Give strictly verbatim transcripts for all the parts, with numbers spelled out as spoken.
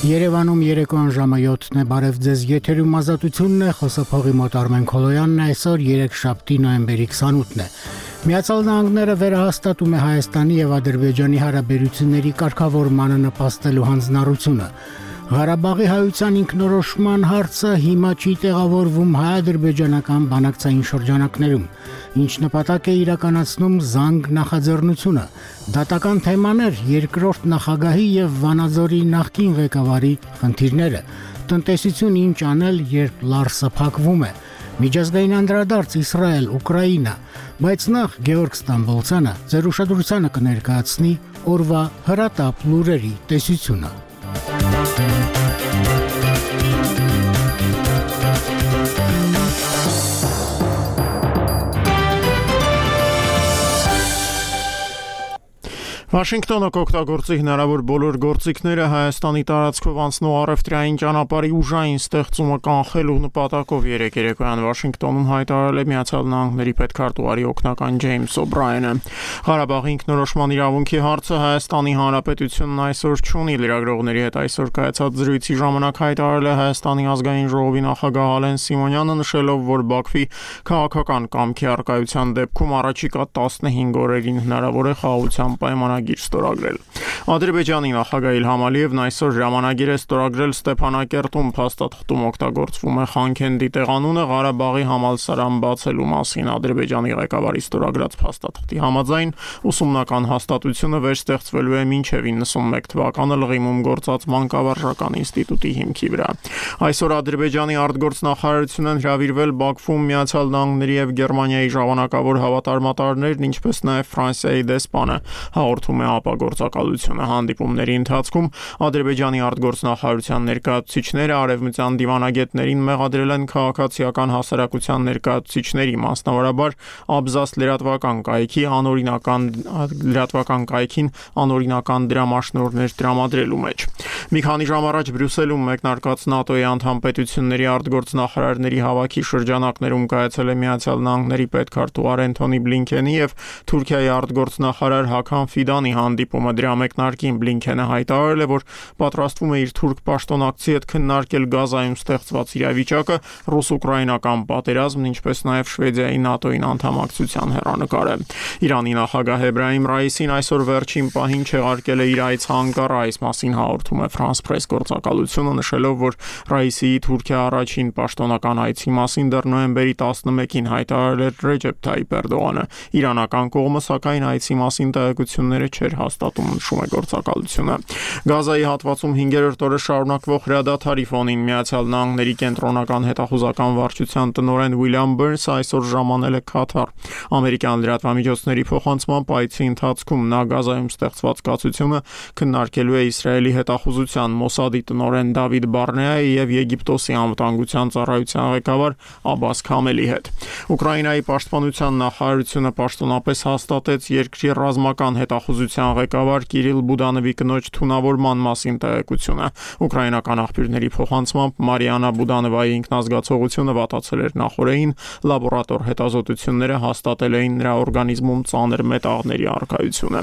Երևանում երեկոյան ժամը յոթն է, բարև ձեզ, եթերում ազատությունն է, խոսափողի մոտ Արմեն Քոլոյանն է, այսօր երեքշաբթի նոյեմբերի քսանութն է։ Միացյալ Նահանգները վերահաստատում է Հայաստանի եւ Ադրբեջանի հարաբերությունների կարգավորմանը նպաստելու հանձնառությունը։ Ղարաբաղի հայության ինքնորոշման հարցը հիմա չի տեղավորվում հայ-ադրբեջանական բանակցային շրջանակներում, ինչ նպատակ է իրականացնում զանգ նախաձեռնությունը։ Դատական թեմաներ երկրորդ նախագահի եւ Վանաձորի նախկին ղեկավարի խնդիրները, տնտեսություն ինչ անել, երբ լարսը փակվում է, միջազգային անդրադարձ Իսրայել, Ուկրաինա, բայց նախ Գեորգ Ստամբոլցյանը ձեր ուշադրությանը կներկայացնի օրվա հրատապ լուրերի տեսությունը։ Վաշինգտոնը կօգտագործի հնարավոր բոլոր գործիքները Հայաստանի տարածքով անցնող առևտրային ճանապարհի ուժային ստեղծումը կանխելու նպատակով երեկ երեկոյան Վաշինգտոնում հայտարարել է Միացյալ Նահանգների պետքարտուղարի օգնական Ջեյմս Օբրայենը։ Ղարաբաղի ինքնորոշման իրավունքի հարցը Հայաստանի Հանրապետությունն այսօր չունի, լրագրողների հետ այսօր կայացած զրույցի ժամանակ հայտարարել է Հայաստանի ազգային ժողովի նախագահ Ալեն Սիմոնյանը, նշելով, որ Բաքվի քաղաքական կամքի առկայության դեպքում առաջիկա տասնհինգ օրերին հնարավոր է խաղաղության պայմանագիր ստորագրել։ Ադրբեջանի նախագահ Իլհամ Ալիևն այսօր ժամանագիր է ստորագրել Ստեփանակերտում փաստաթղթում օգտագործվում է Խանքենդի տեղանունը Ղարաբաղի համալսարան բացելու մասին։ Ադրբեջանի ղեկավարի ստորագրած փաստաթղթի համաձայն ուսումնական հաստատությունը վերստեղծվելու է մինչև իննսունմեկ թվականը Լղիմում գործած մանկավարժական ինստիտուտի հիմքի վրա։ Այսօր Ադրբեջանի արտգործնախարարությունն հրավիրվել Բաքվում Միացյալ Նահանգների եւ Գերմանիայի ժամանակավոր հավատարմատարներն, ինչպես նաեւ Ֆրանսիայի դեսպանը, հաղորդում է ապագործակալությունը։ Հանդիպումների ընթացքում Ադրբեջանի արտգործնախարարության ներկայացուցիչները արևմտյան դիվանագետներին մեղադրել են քաղաքացիական հասարակության ներկայացուցիչների, մասնավորաբար Աբզաս լրատվական կայքի անօրինական լրատվական կայքին անօրինական դրամաշնորհներ տրամադրելու մեջ։ Մի քանի ժամ առաջ Բրյուսելում մեկնարկած ՆԱՏՕ-ի անդամ պետությունների արտգործնախարարների հավաքի շրջանակներում կայացել է Միացյալ Նահանգների պետքարտուղար Էնթոնի Բլինքենի եւ Թուրքիայի արտգործնախարար Հական Ֆիդանի հանդիպումը։ Դրա մեկնարկին Բլինքենը հայտարարել է, որ պատրաստվում է իր թուրք պաշտոնակցի հետ քննարկել Գազայում ստեղծված իրավիճակը, ռուս-ուկրաինական պատերազմն, ինչպես նաև Շվեդիայի ՆԱՏՕ-ին անդամակցության հեռանկարը։ Իրանի նախագահ Էբրահիմ Ռայիսին այսօր վերջին պահին չեղարկել է իր այց Անկարա, այս մասին հաղորդում է France Press գործակալությունը, նշելով, որ Ռայիսիի Թուրքիա առաջին պաշտոնական այցի մասին դեռ նոյեմբերի տասնմեկին հայտարարել էր Ռեջեփ Թայիփ Էրդողանը։ Իրանական կողմը սակայն այցի մասին տեղեկությունները չէր հաստատում, նշում է գործակալությունը։ Գազայի հատվածում հինգերորդ օրը շարունակվող հրադադարի ֆոնին Միացյալ Նահանգների կենտրոնական հետախուզական վարչության տնօրեն Ուիլյամ Բըրնսը այսօր ժամանել է Քաթար։ Ամերիկյան լրատվամիջոցների փոխանցմամբ այցի ընթացքում նա Գազայում ստեղծված կացությունը քննարկելու է Իսրայելի հետախուզության Մոսադի տնօրեն Դավիթ Բարնեայի եւ Եգիպտոսի անվտանգության ծառայության ղեկավար Աբբաս Քամելի հետ։ Ուկրաինայի պաշտպանության նախարարությունը պաշտոնապես հաստատեց երկրի ռազմական հետախուզության ղեկավար Կիրիլ Բուդանովի կնոջ թունավորման մասին տեղեկությունը։ Ուկրաինական աղբյուրների փոխանցմամբ Մարիանա Բուդանովայի ինքնազգացողությունը վատացել էր նախորդին, լաբորատոր հետազոտությունները հաստատել էին նրա օրգանիզմում ծանր մետաղների առկայությունը։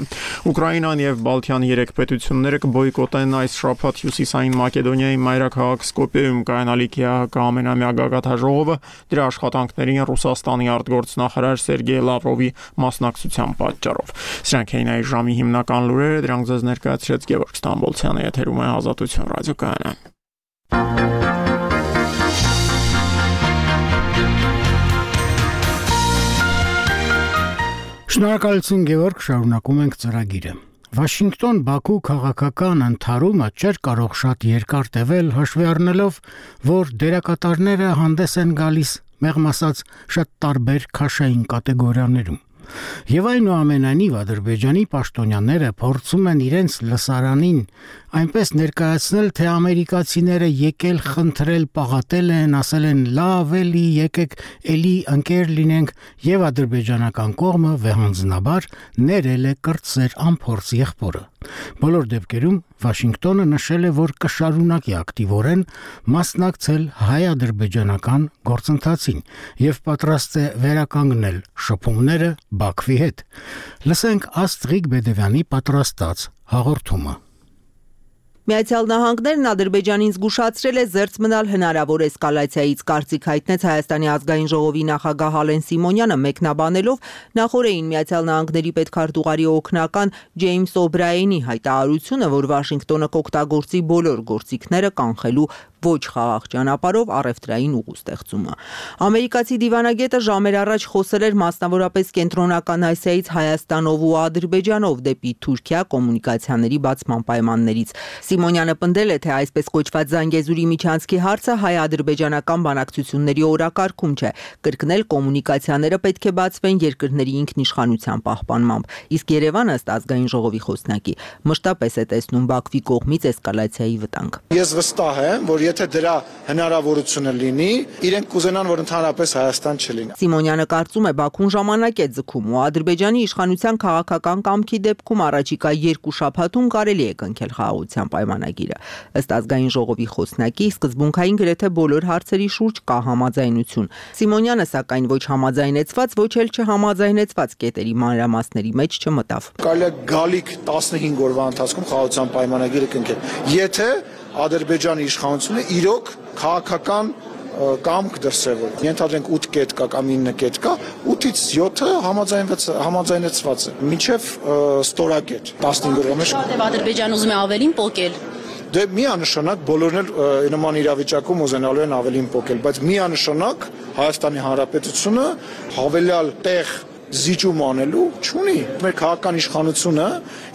Ուկրաինան եւ Բալթյան երեք պետությունները կբոյկոտեն այս շաբաթ Հյուսիսային Մակեդոնիայի մայրաքաղաք Սկոպիեում կայանալիք ԵԱՀԿ ամենամյա գագաթաժողովը, դրա աշխատանքներին Ռուսաստանի արտգործնախարար Սերգեյ Լավրովի մասնակցության պատճառով։ Սրանք էին այս ժամի հիմնական լուրերը, դրանք ձեզ ներկայացրեց Գեորգ Ստամբոլցյանը, եթերում է Ազատություն ռադիոկայանը։ Շնորհակալություն Գեորգ, շարունակում ենք ծրագիրը։ Վաշինգտոն-Բաքու քաղաքական ընդհարումը չէր կարող շատ երկար տևել, հաշվի առնելով, որ դերակատարները հանդես են գալիս, մեղմ ասած, շատ տարբեր քաշային կատեգորիաներում։ Եվ այնուամենայնիվ Ադրբեջանի պաշտոնյաները փորձում են իրենց լսարանին այնպես ներկայացնել, թե ամերիկացիները եկել խնդրել, պաղատել են, ասել են լավ էլի, եկեք էլի ընկեր լինենք, եւ ադրբեջանական կողմը վեհանձնաբար ներել է կրտսեր անփորձ եղբորը։ Բոլոր դեպքերում Վաշինգտոնը նշել է, որ կշարունակի ակտիվորեն մասնակցել հայ-ադրբեջանական գործընթացին եւ պատրաստ է վերականգնել շփումները Բաքվի հետ։ Լսենք Աստրիկ Բեդևյանի պատրաստած հաղորդումը։ Միացյալ Նահանգներն Ադրբեջանին զգուշացրել է զերծ մնալ հնարավոր էսկալացիայից, կարծիք հայտնեց Հայաստանի ազգային ժողովի նախագահ Հալեն Սիմոնյանը, մեկնաբանելով նախորդին Միացյալ Նահանգների պետքարտուղարի օգնական Ջեյմս Օբրայենի հայտարարությունը, որ Վաշինգտոնը կօգտագործի բոլոր գործիքները կանխելու ոչ խաղաղ ճանապարհով առևտրային ուղու ստեղծումը։ Ամերիկացի դիվանագետը ժամեր առաջ խոսել էր մասնավորապես Կենտրոնական Ասիայից Հայաստանով ու Ադրբեջանով դեպի Թուրքիա կոմունիկացիաների բացման պայմաններից։ Սիմոնյանը պնդել է, թե այսպես կոչված Զանգեզուրի միջանցքի հարցը հայ-ադրբեջանական բանակցությունների օրակարգում չէ, կրկնել կոմունիկացիաները պետք է բացվեն երկրների ինքնիշխանության պահպանմամբ, իսկ Երևանը ըստ ազգային ժողովի խոսնակի մշտապես է տեսնում Բաքվի կողմից էսկալացիայի վտանգ։ Ես վստահ եմ, որ եթե դրա հնարավորությունը լինի, իրենք կուզենան, որ ընդհանրապես Հայաստան չլինի։ Սիմոնյանը կարծում է, Բաքուն ժամանակ է ձգում ու Ադրբեջանի իշխանության քաղաքական կամքի դեպքում առաջիկա երկու շաբաթում կարելի է կնքել խաղաղության պայմանագիրը։ Ըստ ազգային ժողովի խոսնակի, սկզբունքային գրեթե բոլոր հարցերի շուրջ կա համաձայնություն։ Սիմոնյանը, սակայն, ոչ համաձայնեցված, ոչ էլ չհամաձայնեցված կետերի մանրամասների մեջ չմտավ։ Կարելի է գալիք տասնհինգ օրվա ընթացքում խաղաղության պայմանագիրը կնքել, եթե Ադրբեջանի իշխանությունը իրոք քաղաքական կամք դրսևոր։ Ենթադրենք ութ կետ կա կամ ինը կետ կա, ութից յոթը համաձայնեցված է, մինչև ստորակետ տասնհինգ օրվա մեջ։ Որտեղ Ադրբեջանը ուզում է ավելին պոկել։ Դե միանշանակ բոլորն էլ նման իրավիճակում ուզենալու են ավելին պոկել, բայց միանշանակ Հայաստանի Հանրապետությունը հավելյալ տեղ զիջում անելու չունի։ Մեր քաղաքական իշխանությունը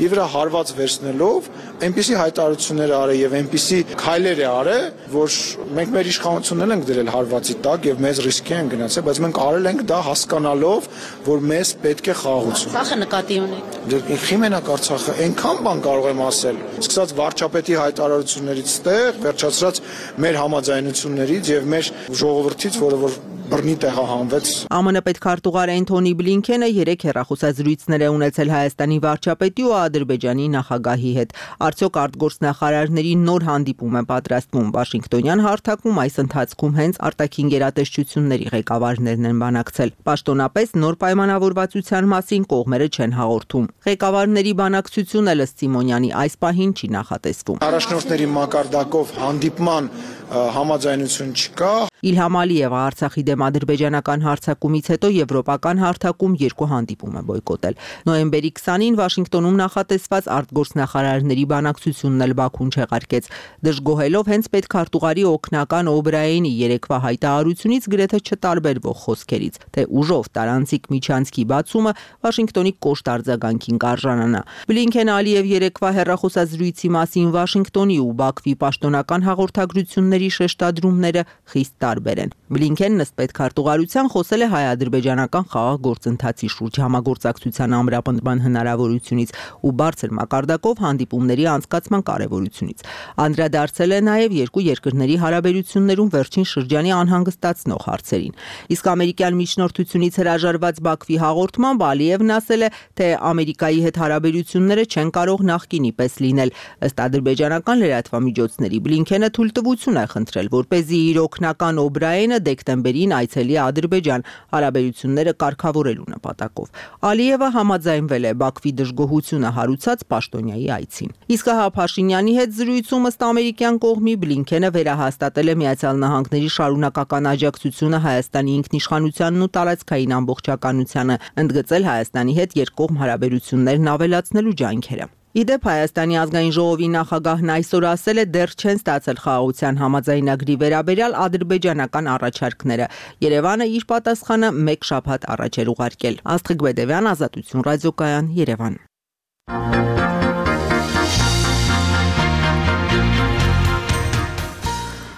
իր վրա հարված վերցնելով այնպիսի հայտարարություններ արել եւ այնպիսի քայլեր է արել, որ մենք մեր իշխանությունն ենք դրել հարվածի տակ եւ մեզ ռիսկի են գնացել, բայց մենք արել ենք դա հասկանալով, որ մեզ պետք է խաղաղություն։ Արցախը նկատի ունեք։ Դե խիմենակ Արցախը այնքան բան կարող եմ ասել, սկսած վարչապետի հայտարարություններից ստեղ, վերջացրած մեր համաձայնություններից եւ մեր ժողովրդից, որը որ բռնի տեղահանվեց։ ԱՄՆ պետքարտուղար Էնթոնի Բլինքենը երեք հեռախոսազրույցներ է ունեցել Հայաստանի վարչապետի ու Ադրբեջանի նախագահի հետ։ Արդյոք արտգործնախարարների նոր հանդիպում է պատրաստվում Վաշինգտոնյան հարթակում, այս ընթացքում հենց արտաքին գերատեսչությունների ղեկավարներն են բանակցել։ Պաշտոնապես նոր պայմանավորվածության մասին կողմերը չեն հաղորդում։ Ղեկավարների բանակցությունը ըստ Սիմոնյանի այս պահին չի նախատեսվում։ Առաջնորդների մակարդակով հանդիպման համաձայնություն չկա։ Իլհամ Ալիևը Արցախի դեմ ադրբեջանական հարձակումից հետո եվրոպական հարթակում երկու հանդիպում է բոյկոտել։ Նոյեմբերի քսանին Վաշինգտոնում նախատեսված արտգործնախարարների բանակցությունն էլ Բաքուն չեղարկեց, դժգոհելով հենց պետքարտուղարի օգնական Օբրայենի երեկվա հայտարարությունից գրեթե չտարբերվող խոսքերից, թե ուժով տարանցիկ միջանցքի բացումը Վաշինգտոնի կոշտ արձագանքին կարժանանա։ Բլինքեն Ալիև երեկվա հեռախոսազրույցի մասին Վաշինգտոնի ու Բաքվի պաշտոնական հաղորդագրությունների շեշտադրումները խիստ տարբեր են։ Բլինքենն ըստ պետքարտուղարության խոսել է հայ-ադրբեջանական խաղաղ գործընթացի շուրջ համագործակցության ամրապնդման հնարավորությունից ու բարձր մակարդակով հանդիպումների անցկացման կարևորությունից։ Անդրադարձել է նաև երկու երկրների հարաբերություններում վերջին շրջանի անհանգստացնող հարցերին։ Իսկ ամերիկյան միջնորդությունից հրաժարված Բաքվի հաղորդմամբ Ալիևն ասել է, թե Ամերիկայի հետ հարաբերությունները չեն կարող նախկինի պես լինել։ Ըստ ադրբեջանական լրատվամիջոցների Բլինքենը թույլտվություն է խնդրել, որպեսզի իր օգնական Օբրայենը դեկտեմբերին այցելի Ադրբեջան հարաբերությունները կարգավորելու նպատակով։ Ալիևը համաձայնվել է Բաքվի դժգոհությունը հարուցած պաշտոնյայի այցին։ Իսկ հա Փաշինյանի հետ զրույցում ըստ ամերիկյան կողմի Բլինքենը վերահաստատել է Միացյալ Նահանգների շարունակական աջակցությունը Հայաստանի ինքնիշխանությանն ու տարածքային ամբողջականությանը, ընդգծել Հայաստանի հետ երկկողմ հարաբերություններն ավելացնելու ջանքերը։ Իդեպ Հայաստանի ազգային ժողովի նախագահն այսօր ասել է, դեռ չեն ստացել խաղաղության համաձայնագրի վերաբերյալ ադրբեջանական առաջարկները։ Երևանը իր պատասխանը մեկ շաբաթ առաջ էր ուղարկել։ Աստղիկ Բեդևյան, Ազատություն ռադիոկայան, Երևան։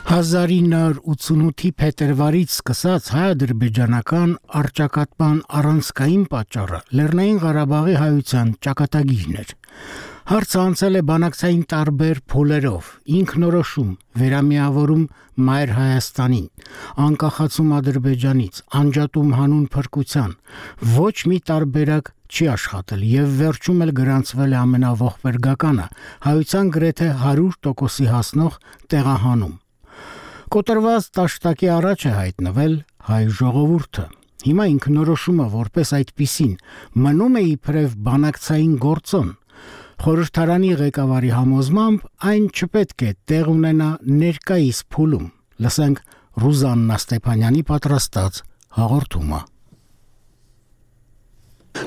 հազար ինը հարյուր ութսունութի փետրվարից սկսած հայ-ադրբեջանական առճակատման առանցքային պատճառը Լեռնային Ղարաբաղի հայության ճակատագիրն էր։ Հարցը անցել է բանակցային տարբեր փուլերով, ինքնորոշում, վերամիավորում Մայր Հայաստանին, անկախացում Ադրբեջանից, անջատում հանուն փրկության, ոչ մի տարբերակ չի աշխատել եւ վերջում էլ գրանցվել է ամենավողբերգականը, հայության գրեթե հարյուր տոկոսի հասնող տեղահանում։ Կոտրված տաշտակի առաջ է հայտնվել հայ ժողովուրդը։ Հիմա ինքնորոշումը որպես այդպիսին մնում է իբրև բանակցային գործոն։ Խորհրդարանի ղեկավարի համոզմամբ այն չպետք է տեղ ունենա ներկայիս փուլում։ Լսենք Ռուզաննա Ստեփանյանի պատրաստած հաղորդումը։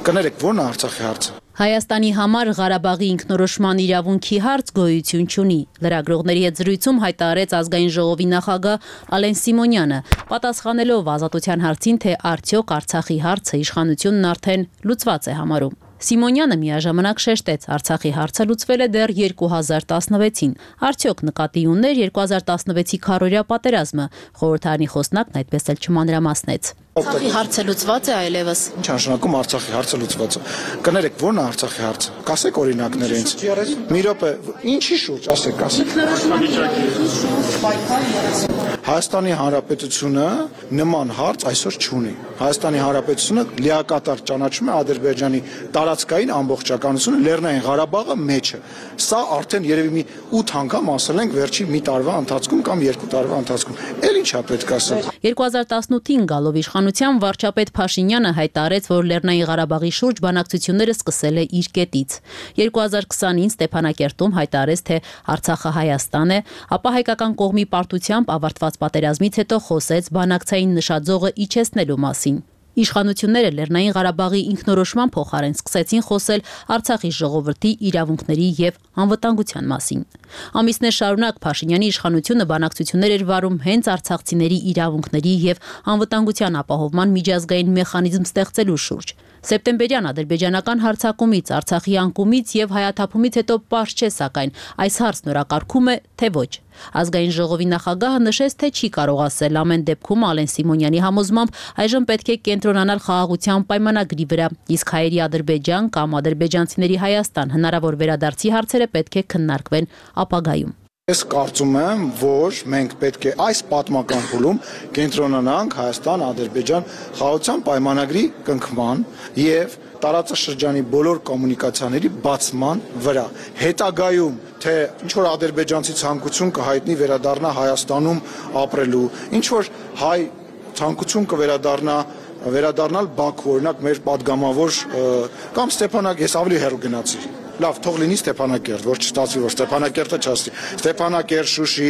Կներեք, ո՞րն է Արցախի հարցը։ Հայաստանի համար Ղարաբաղի ինքնորոշման իրավունքի հարց գոյություն չունի։ Լրագրողների հետ զրույցում հայտարարեց ազգային ժողովի նախագահ Ալեն Սիմոնյանը, պատասխանելով ազատության հարցին, թե արդյոք Արցախի հարցը իշխանությունն արդեն լուծված է համարում։ Սիմոնյանը միաժամանակ շեշտեց, Արցախի հարցը լուծվել է դեռ երկու հազար տասնվեցին։ Արդյոք նկատի ուներ երկու հազար տասնվեցի քառօրյա պատերազմը։ Խորհրդարանի խոսնակն այդպես էլ չմանրամասնեց։ Արցախի հարցը լուծված է այլևս։ Ինչ նշանակում Արցախի հարցը լուծված է։ Կներեք, ո՞րն է Արցախի հարցը։ Կասեք օրինակներ ինձ։ Մի րոպե, ինչի շուրջ, ասեք, ասեք։ Հայաստանի Հանրապետությունը նման հարց այսօր չունի։ Հայաստանի Հանրապետությունը լիակատար ճանաչում է Ադրբեջանի տարածքային ամբողջականությունը, Լեռնային Ղարաբաղը մեջը։ Սա արդեն երևի մի ութ անգամ ասել ենք վերջին մի տարվա ընթացքում կամ երկու տարվա ընթացքում։ Էլ ինչա պետք ասել։ երկու հազար տասնութին գալով իշխանության վարչապետ Փաշինյանը հայտարարեց, որ Լեռնային Ղարաբաղի շուրջ բանակցությունները սկսել է իր կետից։ երկու հազար քսանին Ստեփանակերտում հայտարարեց, թե Արցախը Հայաստան է, ապա հայկական կողմի պարտությամբ ավարտված պատերազմից հետո խոսեց բանակցային նշաձողը իջեցնելու մասին։ Իշխանությունները Լեռնային Ղարաբաղի ինքնորոշման փոխարեն սկսեցին խոսել Արցախի ժողովրդի իրավունքների եւ անվտանգության մասին։ Ամիսներ շարունակ Փաշինյանի իշխանությունը բանակցություններ էր վարում հենց արցախցիների իրավունքների եւ անվտանգության ապահովման միջազգային մեխանիզմ ստեղծելու շուրջ։ Սեպտեմբերյան ադրբեջանական հարձակումից, Արցախի անկումից եւ հայաթափումից հետո պարզ չէ, սակայն այս հարցն օրակարգում է, թե ոչ։ Ազգային ժողովի նախագահը նշեց, թե չի կարող ասել, ամեն դեպքում Ալեն Սիմոնյանի համոզմամբ այժմ պետք է կենտրոնանալ խաղաղության պայմանագրի վրա, իսկ հայերի Ադրբեջան կամ ադրբեջանցիների Հայաստան հնարավոր վերադարձի հարցերը պետք է քննարկվեն ապագայում։ Ես կարծում եմ, որ մենք պետք է այս պատմական փուլում կենտրոնանանք Հայաստան-Ադրբեջան խաղաղության պայմանագրի կնքման եւ տարածաշրջանի բոլոր կոմունիկացիաների բացման վրա։ Հետագայում թե ինչ որ ադրբեջանցի ցանկություն կհայտնի վերադառնա Հայաստանում ապրելու, ինչ որ հայ ցանկություն կվերադառնա վերադառնալ Բաքու, օրինակ մեր падգամավոր կամ Ստեփանակ, ես ավելի հեռու գնացի։ Լավ, թող լինի Ստեփանակերտ, որ չստացվի, որ Ստեփանակերտը չասի։ Ստեփանակերտ, Շուշի,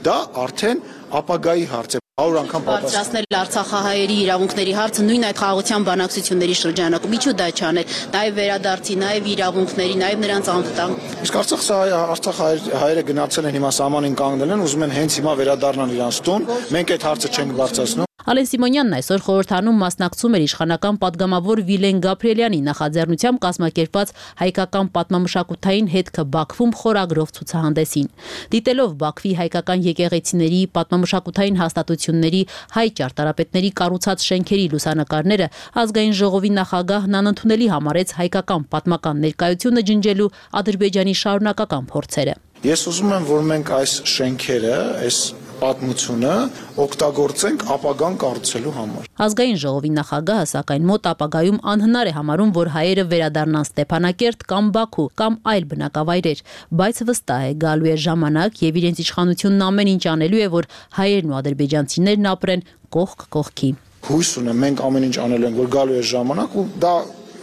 դա արդեն ապագայի հարց է։ հարյուր անգամ պատասխանել Արցախահայերի իրավունքների հարցը նույն այդ խաղաղության բանակցությունների շրջանակում։ Ինչու դա չանել։ Նաև վերադարձի, նաև իրավունքների, նաև նրանց անվտանգ։ Իսկ Արցախ հայերը գնացել են հիմա սահմանին կանգնել են, ուզում են հենց հիմա վերադառնալ իրանց տուն։ Մենք այդ հարցը չենք բարձրացնում։ Ալեն Սիմոնյանն այսօր խորհրդանում մասնակցում էր իշխանական падգամավոր Վիլեն Գաբրիելյանի նախաձեռնությամբ կազմակերպված հայկական պատմամշակութային հետքը Բաքվում խորագրով ցուցահանդեսին։ Դիտելով Բաքվի հայկական եկեղեցիների, պատմամշակութային հաստատությունների, հայ ճարտարապետների կառուցած շենքերի լուսանկարները, ազգային ժողովի նախագահն անընդունելի համարեց հայկական պատմական ներկայությունը ջնջելու Ադրբեջանի շարունակական փորձերը։ Ես ուզում եմ, որ մենք այս շենքերը, այս պատմությունը օգտագործենք ապագան կառուցելու համար։ Ազգային ժողովի նախագահը սակայն մոտ ապագայում անհնար է համարում, որ հայերը վերադառնան Ստեփանակերտ կամ Բաքու կամ այլ բնակավայրեր, բայց վստահ է գալու է ժամանակ եւ իրենց իշխանությունն ամեն ինչ անելու է, որ հայերն ու ադրբեջանցիներն ապրեն կողք կողքի։ Հույս ունեմ, մենք ամեն ինչ անելու ենք, որ գալու է ժամանակ ու դա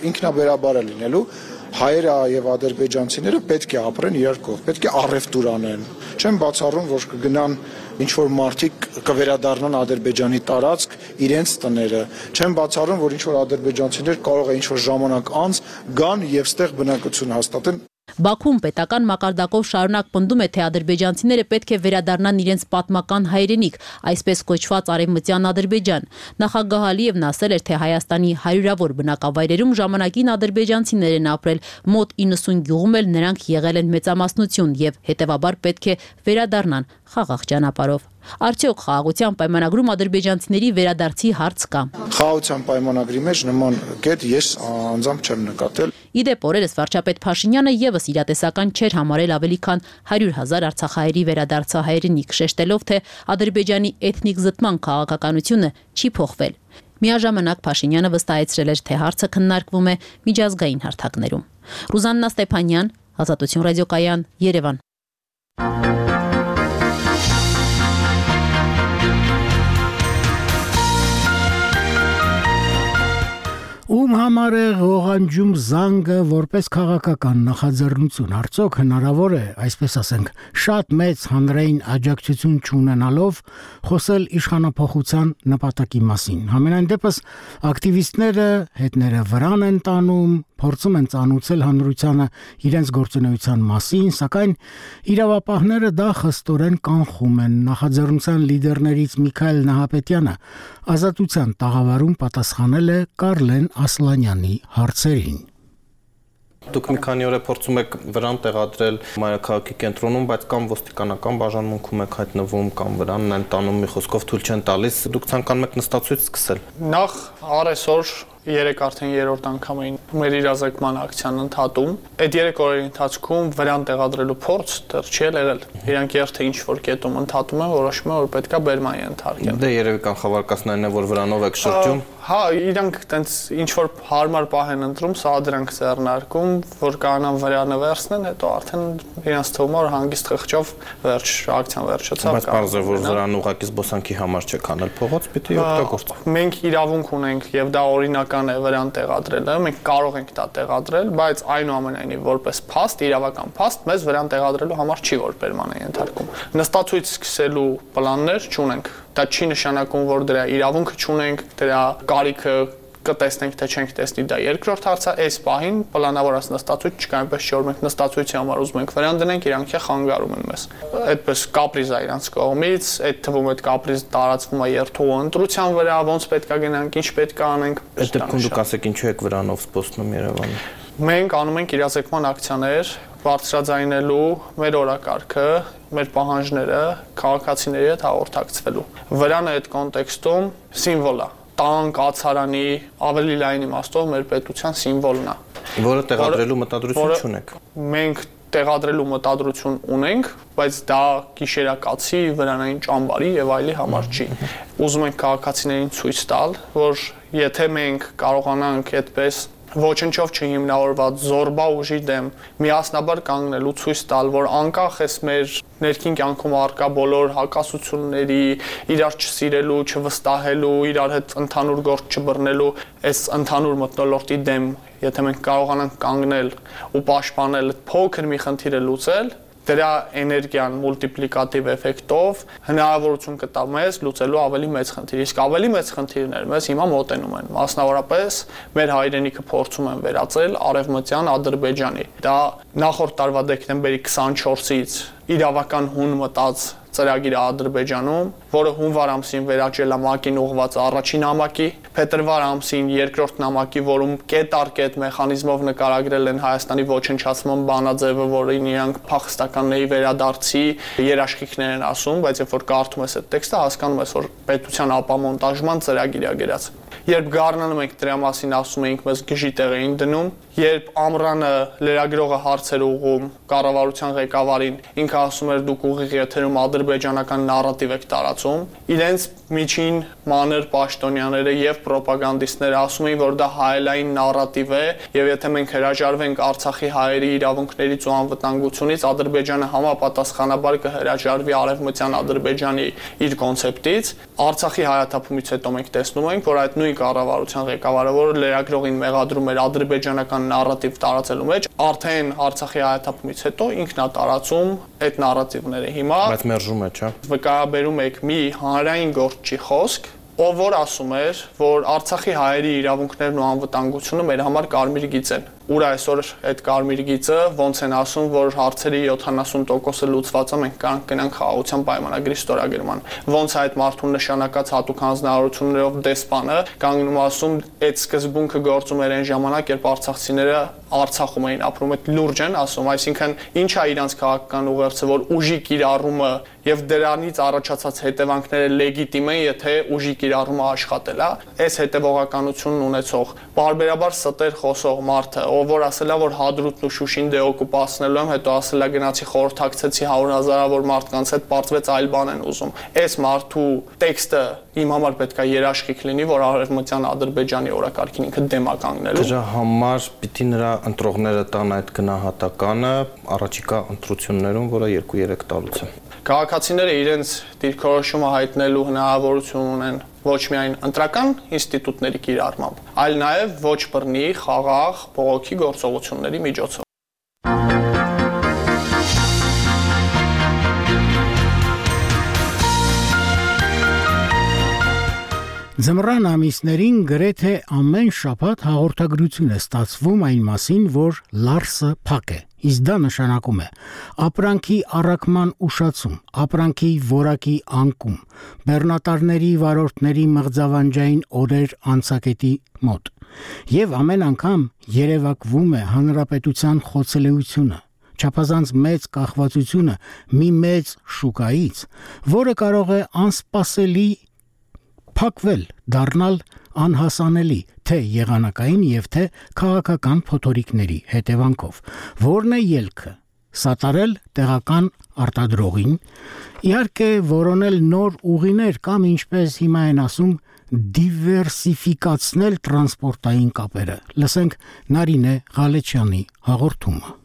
ինքնաբերաբար է լինելու։ Հայերը եւ ադրբեջանցիները պետք է ապրեն իրար կողք, պետք է առևտուր անեն։ Չեմ բացառում, որ կգնան ինչ որ մարդիկ կվերադառնան Ադրբեջանի տարածք իրենց տները։ Չեմ բացառում, որ ինչ որ ադրբեջանցիներ կարող է ինչ որ ժամանակ անց գան եւ ստեղ բնակություն հաստատեն։ Բաքվում պետական մակարդակով շարունակ պնդում է, թե ադրբեջանցիները պետք է վերադառնան իրենց պատմական հայրենիք, այսպես կոչված արևմտյան Ադրբեջան։ Նախագահ Ալիևն ասել էր, թե Հայաստանի հարյուրավոր բնակավայրերում ժամանակին ադրբեջանցիներ են ապրել, մոտ իննսուն գյուղում էլ նրանք եղել են մեծամասնություն եւ հետեւաբար պետք է վերադառնան խաղաղ ճանապարհով։ Արդյոք խաղաղության պայմանագրում ադրբեջանցիների վերադարձի հարց կա։ Խաղաղության պայմանագրի մեջ նման կետ ես անձամբ չեմ նկատել։ Իդեպ օրերս վարչապետ Փաշինյանը եւս իրատեսական չէր համարել ավելի քան հարյուր հազար արցախահայերի վերադարձա հայրենիք, շեշտելով, թե Ադրբեջանի էթնիկ զտման քաղաքականությունը չի փոխվել։ Միաժամանակ Փաշինյանը վստահեցրել էր, թե հարցը քննարկվում է միջազգային հարթակներում։ Ռուզաննա Ստեփանյան, Ազատություն ռադիոկայան, Երևան։ Ում համար է ղողանջում զանգը որպես քաղաքական նախաձեռնություն, արդյոք հնարավոր է, այսպես ասենք, շատ մեծ հանրային աջակցություն չունենալով խոսել իշխանափոխության նպատակի մասին։ Համենայն դեպս ակտիվիստները հետները վրան են տանում, փորձում են ծանուցել հանրությանը իրենց գործունեության մասին, սակայն իրավապահները դա խստորեն կանխում են։ Նախաձեռնության լիդերներից Միքայել Նահապետյանը Ազատության տաղավարում պատասխանել է Կարլեն Ասլանյանի հարցերին։ Դուք մի քանի օր է փորձում եք վրան տեղադրել մայրաքաղաքի կենտրոնում, բայց կամ ոստիկանական բաժանմունքում եք հայտնվում, կամ վրանն են տանում, մի խոսքով թույլ չեն տալիս, դուք ցանկանում եք նստացույց սկսել։ Նախ առեսօր երեք արդեն երրորդ անգամ էին մեր իրազեկման ակցիան ընդհատում։ Այդ երեք օրերի ընթացքում վրան տեղադրելու փորձ դեռ չի եղել։ Իրանք երթը ինչ որ կետում ընդհատում են, որոշում են, որ պետքա բերման ենթարկեն։ Դե երևի կանխավարկածներն են, որ վրանով եք շրջում։ Հա, իրանք տենց ինչ որ հարմար պահ են ընտրում, սա դրանք ձեռնարկում, որ կանան վրանը վերցնեն, հետո արդեն իրենց թվում որ հանգիստ խղճով վերջ ակցիան վերջացավ։ Բայց բարձր է, որ վրան ուղղակի զբոսանքի համար չեք անել, փողոց պիտի օգտագործեք։ Մենք իրավունք ունենք եւ դա օրինական է վրան տեղադրելը, մենք կարող ենք դա տեղադրել, բայց այնուամենայնիվ որպես փաստ, իրավական փաստ, մեզ վրան տեղադրելու համար չի որ բերման է ենթարկում։ Նստացույց սկսելու պլաններ չունենք։ Դա չի նշանակում, որ դրա իրավունքը չունենք, դրա կարիքը կտեսնենք, թե չենք տեսնի, դա երկրորդ հարցը, այս պահին պլանավորած նստացույց չկա, այնպես չէ որ մենք նստացույցի համար ուզում ենք վրան դնենք, իրանք է խանգարում են մեզ։ Այդպես կապրիզ է իրանց կողմից, այդ թվում այդ կապրիզ տարածվում է երթու ընտրության վրա, ոնց պետքա գնանք, ինչ պետքա անենք։ Այդ դեպքում դուք ասեք ինչու եք վրանով սպոսնում Երևանը։ Մենք անում ենք իրազեկման ակցիաներ, բարձրաձայնելու մեր օրակարգը, մեր պահանջները քաղաքացիների հետ հաղորդակցվելու։ Վրանը այդ կոնտեքստում սիմվոլ է, տան, կացարանի, ավելի լայն իմաստով մեր պետության սիմվոլն է, որը տեղադրելու մտադրություն չունեք։ Մենք տեղադրելու մտադրություն ունենք, բայց դա գիշերակացի, վրանային ճամբարի եւ այլի համար չի։ Ուզում ենք քաղաքացիներին ցույց տալ, որ եթե մենք կարողանանք այդպես ոչնչով չհիմնավորված զորբա ուժի դեմ միասնաբար կանգնելու ցույց տալ, որ անկախ էս մեր ներքին կյանքում առկա բոլոր հակասությունների, իրար չսիրելու, չվստահելու, իրար հետ ընդհանուր գործ չբռնելու, այս ընդհանուր մթնոլորտի դեմ, եթե մենք կարողանանք կանգնել ու պաշտպանել փոքր մի խնդիրը լուծել, դրա էներգիան մուլտիպլիկատիվ էֆեկտով հնարավորություն կտա մեզ լուծելու ավելի մեծ խնդիր։ Իսկ ավելի մեծ խնդիրներ մեզ հիմա մոտենում են։ Մասնավորապես մեր հայրենիքը փորձում են վերածել արևմտյան Ադրբեջանի։ Դա նախորդ տարվա դեկտեմբերի քսանչորսից իրավական հուն մտած ծրագիրը Ադրբեջանում, որը հունվար ամսին վերաճել է ՄԱԿ-ին ուղղված առաջին նամակի, փետրվար ամսին երկրորդ նամակի, որում կետ առ կետ մեխանիզմով նկարագրել են Հայաստանի ոչնչացման բանաձևը, որին իրանք փախստականների վերադարձի երաշխիքներ են ասում, բայց երբ որ կարդում ես այդ տեքստը, հասկանում ես, որ պետության ապամոնտաժման ծրագիր է գրած։ Երբ գառնանում ենք դրա մասին ասում էինք, մեզ գժի տեղ էին դնում, երբ ամռանը լրագրողը հարցեր ուղղում կառավարության ղեկավարին, ինքը ասում էր դուք ուղիղ եթերում ադրբեջանական նարատիվ եք տարածում, իրենց միջին մանր պաշտոնյաները եւ պրոպագանդիստները ասում էին, որ դա հայելային նարատիվ է, եւ եթե մենք հրաժարվենք Արցախի հայերի իրավունքներից ու անվտանգությունից, Ադրբեջանը համապատասխանաբար կհրաժարվի արևմտյան Ադրբեջանի իր կոնցեպտից։ Արցախի հայաթափումից հետո մենք տեսնում ենք, որ այդ նույն կառավարության ղեկավարը, որը լրագրողին մեղադրում էր ադրբեջանական նարատիվ տարածելու մեջ, արդեն Արցախի հայաթափումից հետո ինքն է տարածում այդ նարատիվները հիմա։ Բայց մերժում է, չէ՞։ Վկայաբերում եք մի հանրային գործչի խոսք, ով որ ասում էր, որ Արցախի հայերի իրավունքներն ու անվտանգությունը մեր համար կարմիր գիծ են։ Ուր այսօր այդ կարմիր գիծը ոնց են ասում, որ հարցերի յոթանասուն տոկոսը լուծված է, մենք կարող գնանք խաղաղության պայմանագրի ստորագրման։ Ոնց այդ մարդուն նշանակած հատուկ հանձնարարություններով դեսպանը կանգնում ասում, այդ սկզբունքը գործում էր այն ժամանակ, երբ արցախցիները Արցախում էին ապրում, այդ լուրջ են ասում, այսինքն ինչ է իրանց քաղաքական ուղերձը, որ ուժի կիրառումը եւ դրանից առաջացած հետևանքները լեգիտիմ են, եթե ուժի կիրառումը աշխատել է։ Այս հետևողականությունն ունեցող բարբերաբար ստեր խոսող մարդը, ով որ ասել է, որ Հադրութն ու Շուշին դեօկուպացնելու եմ, հետո ասել է գնացի խորհրդակցեցի հարյուր հազարավոր մարդկանց հետ, պարզվեց այլ բան են ուզում։ Այս մարդու տեքստը իմ համար պետք է երաշխիք լինի, որ արևմտյան Ադրբեջանի օրակարգին ինքը դեմ է կանգնելու։ Դրա համար պիտի նրա ընտրողները տան այդ գնահատականը առաջիկա ընտրություններում, որը երկու երեք տարուց է։ Քաղաքացիները իրենց դիրքորոշումը հայտնելու հնարավորություն ունեն ոչ միայն ընտրական ինստիտուտների կիրառմամբ, այլ նաև ոչ բռնի, խաղաղ, բողոքի գործողությունների միջոցով։ Ձմռան ամիսներին գրեթե ամեն շաբաթ հաղորդագրություն է ստացվում այն մասին, որ Լարսը փակ է, իսկ դա նշանակում է ապրանքի առաքման ուշացում, ապրանքի որակի անկում, բեռնատարների վարորդների մղձավանջային օրեր անցակետի մոտ, եւ ամեն անգամ երևակվում է հանրապետության խոցելիությունը, չափազանց մեծ կախվածությունը մի մեծ շուկայից, որը կարող է անսպասելի փակվել, դառնալ անհասանելի թե եղանակային եւ թե քաղաքական փոթորիկների հետևանքով, որն է ելքը սատարել տեղական արտադրողին, իհարկե որոնել նոր ուղիներ կամ ինչպես հիմա են ասում դիվերսիֆիկացնել տրանսպորտային կապերը։ Լսենք Նարինե Ղալեչյանի հաղորդումը։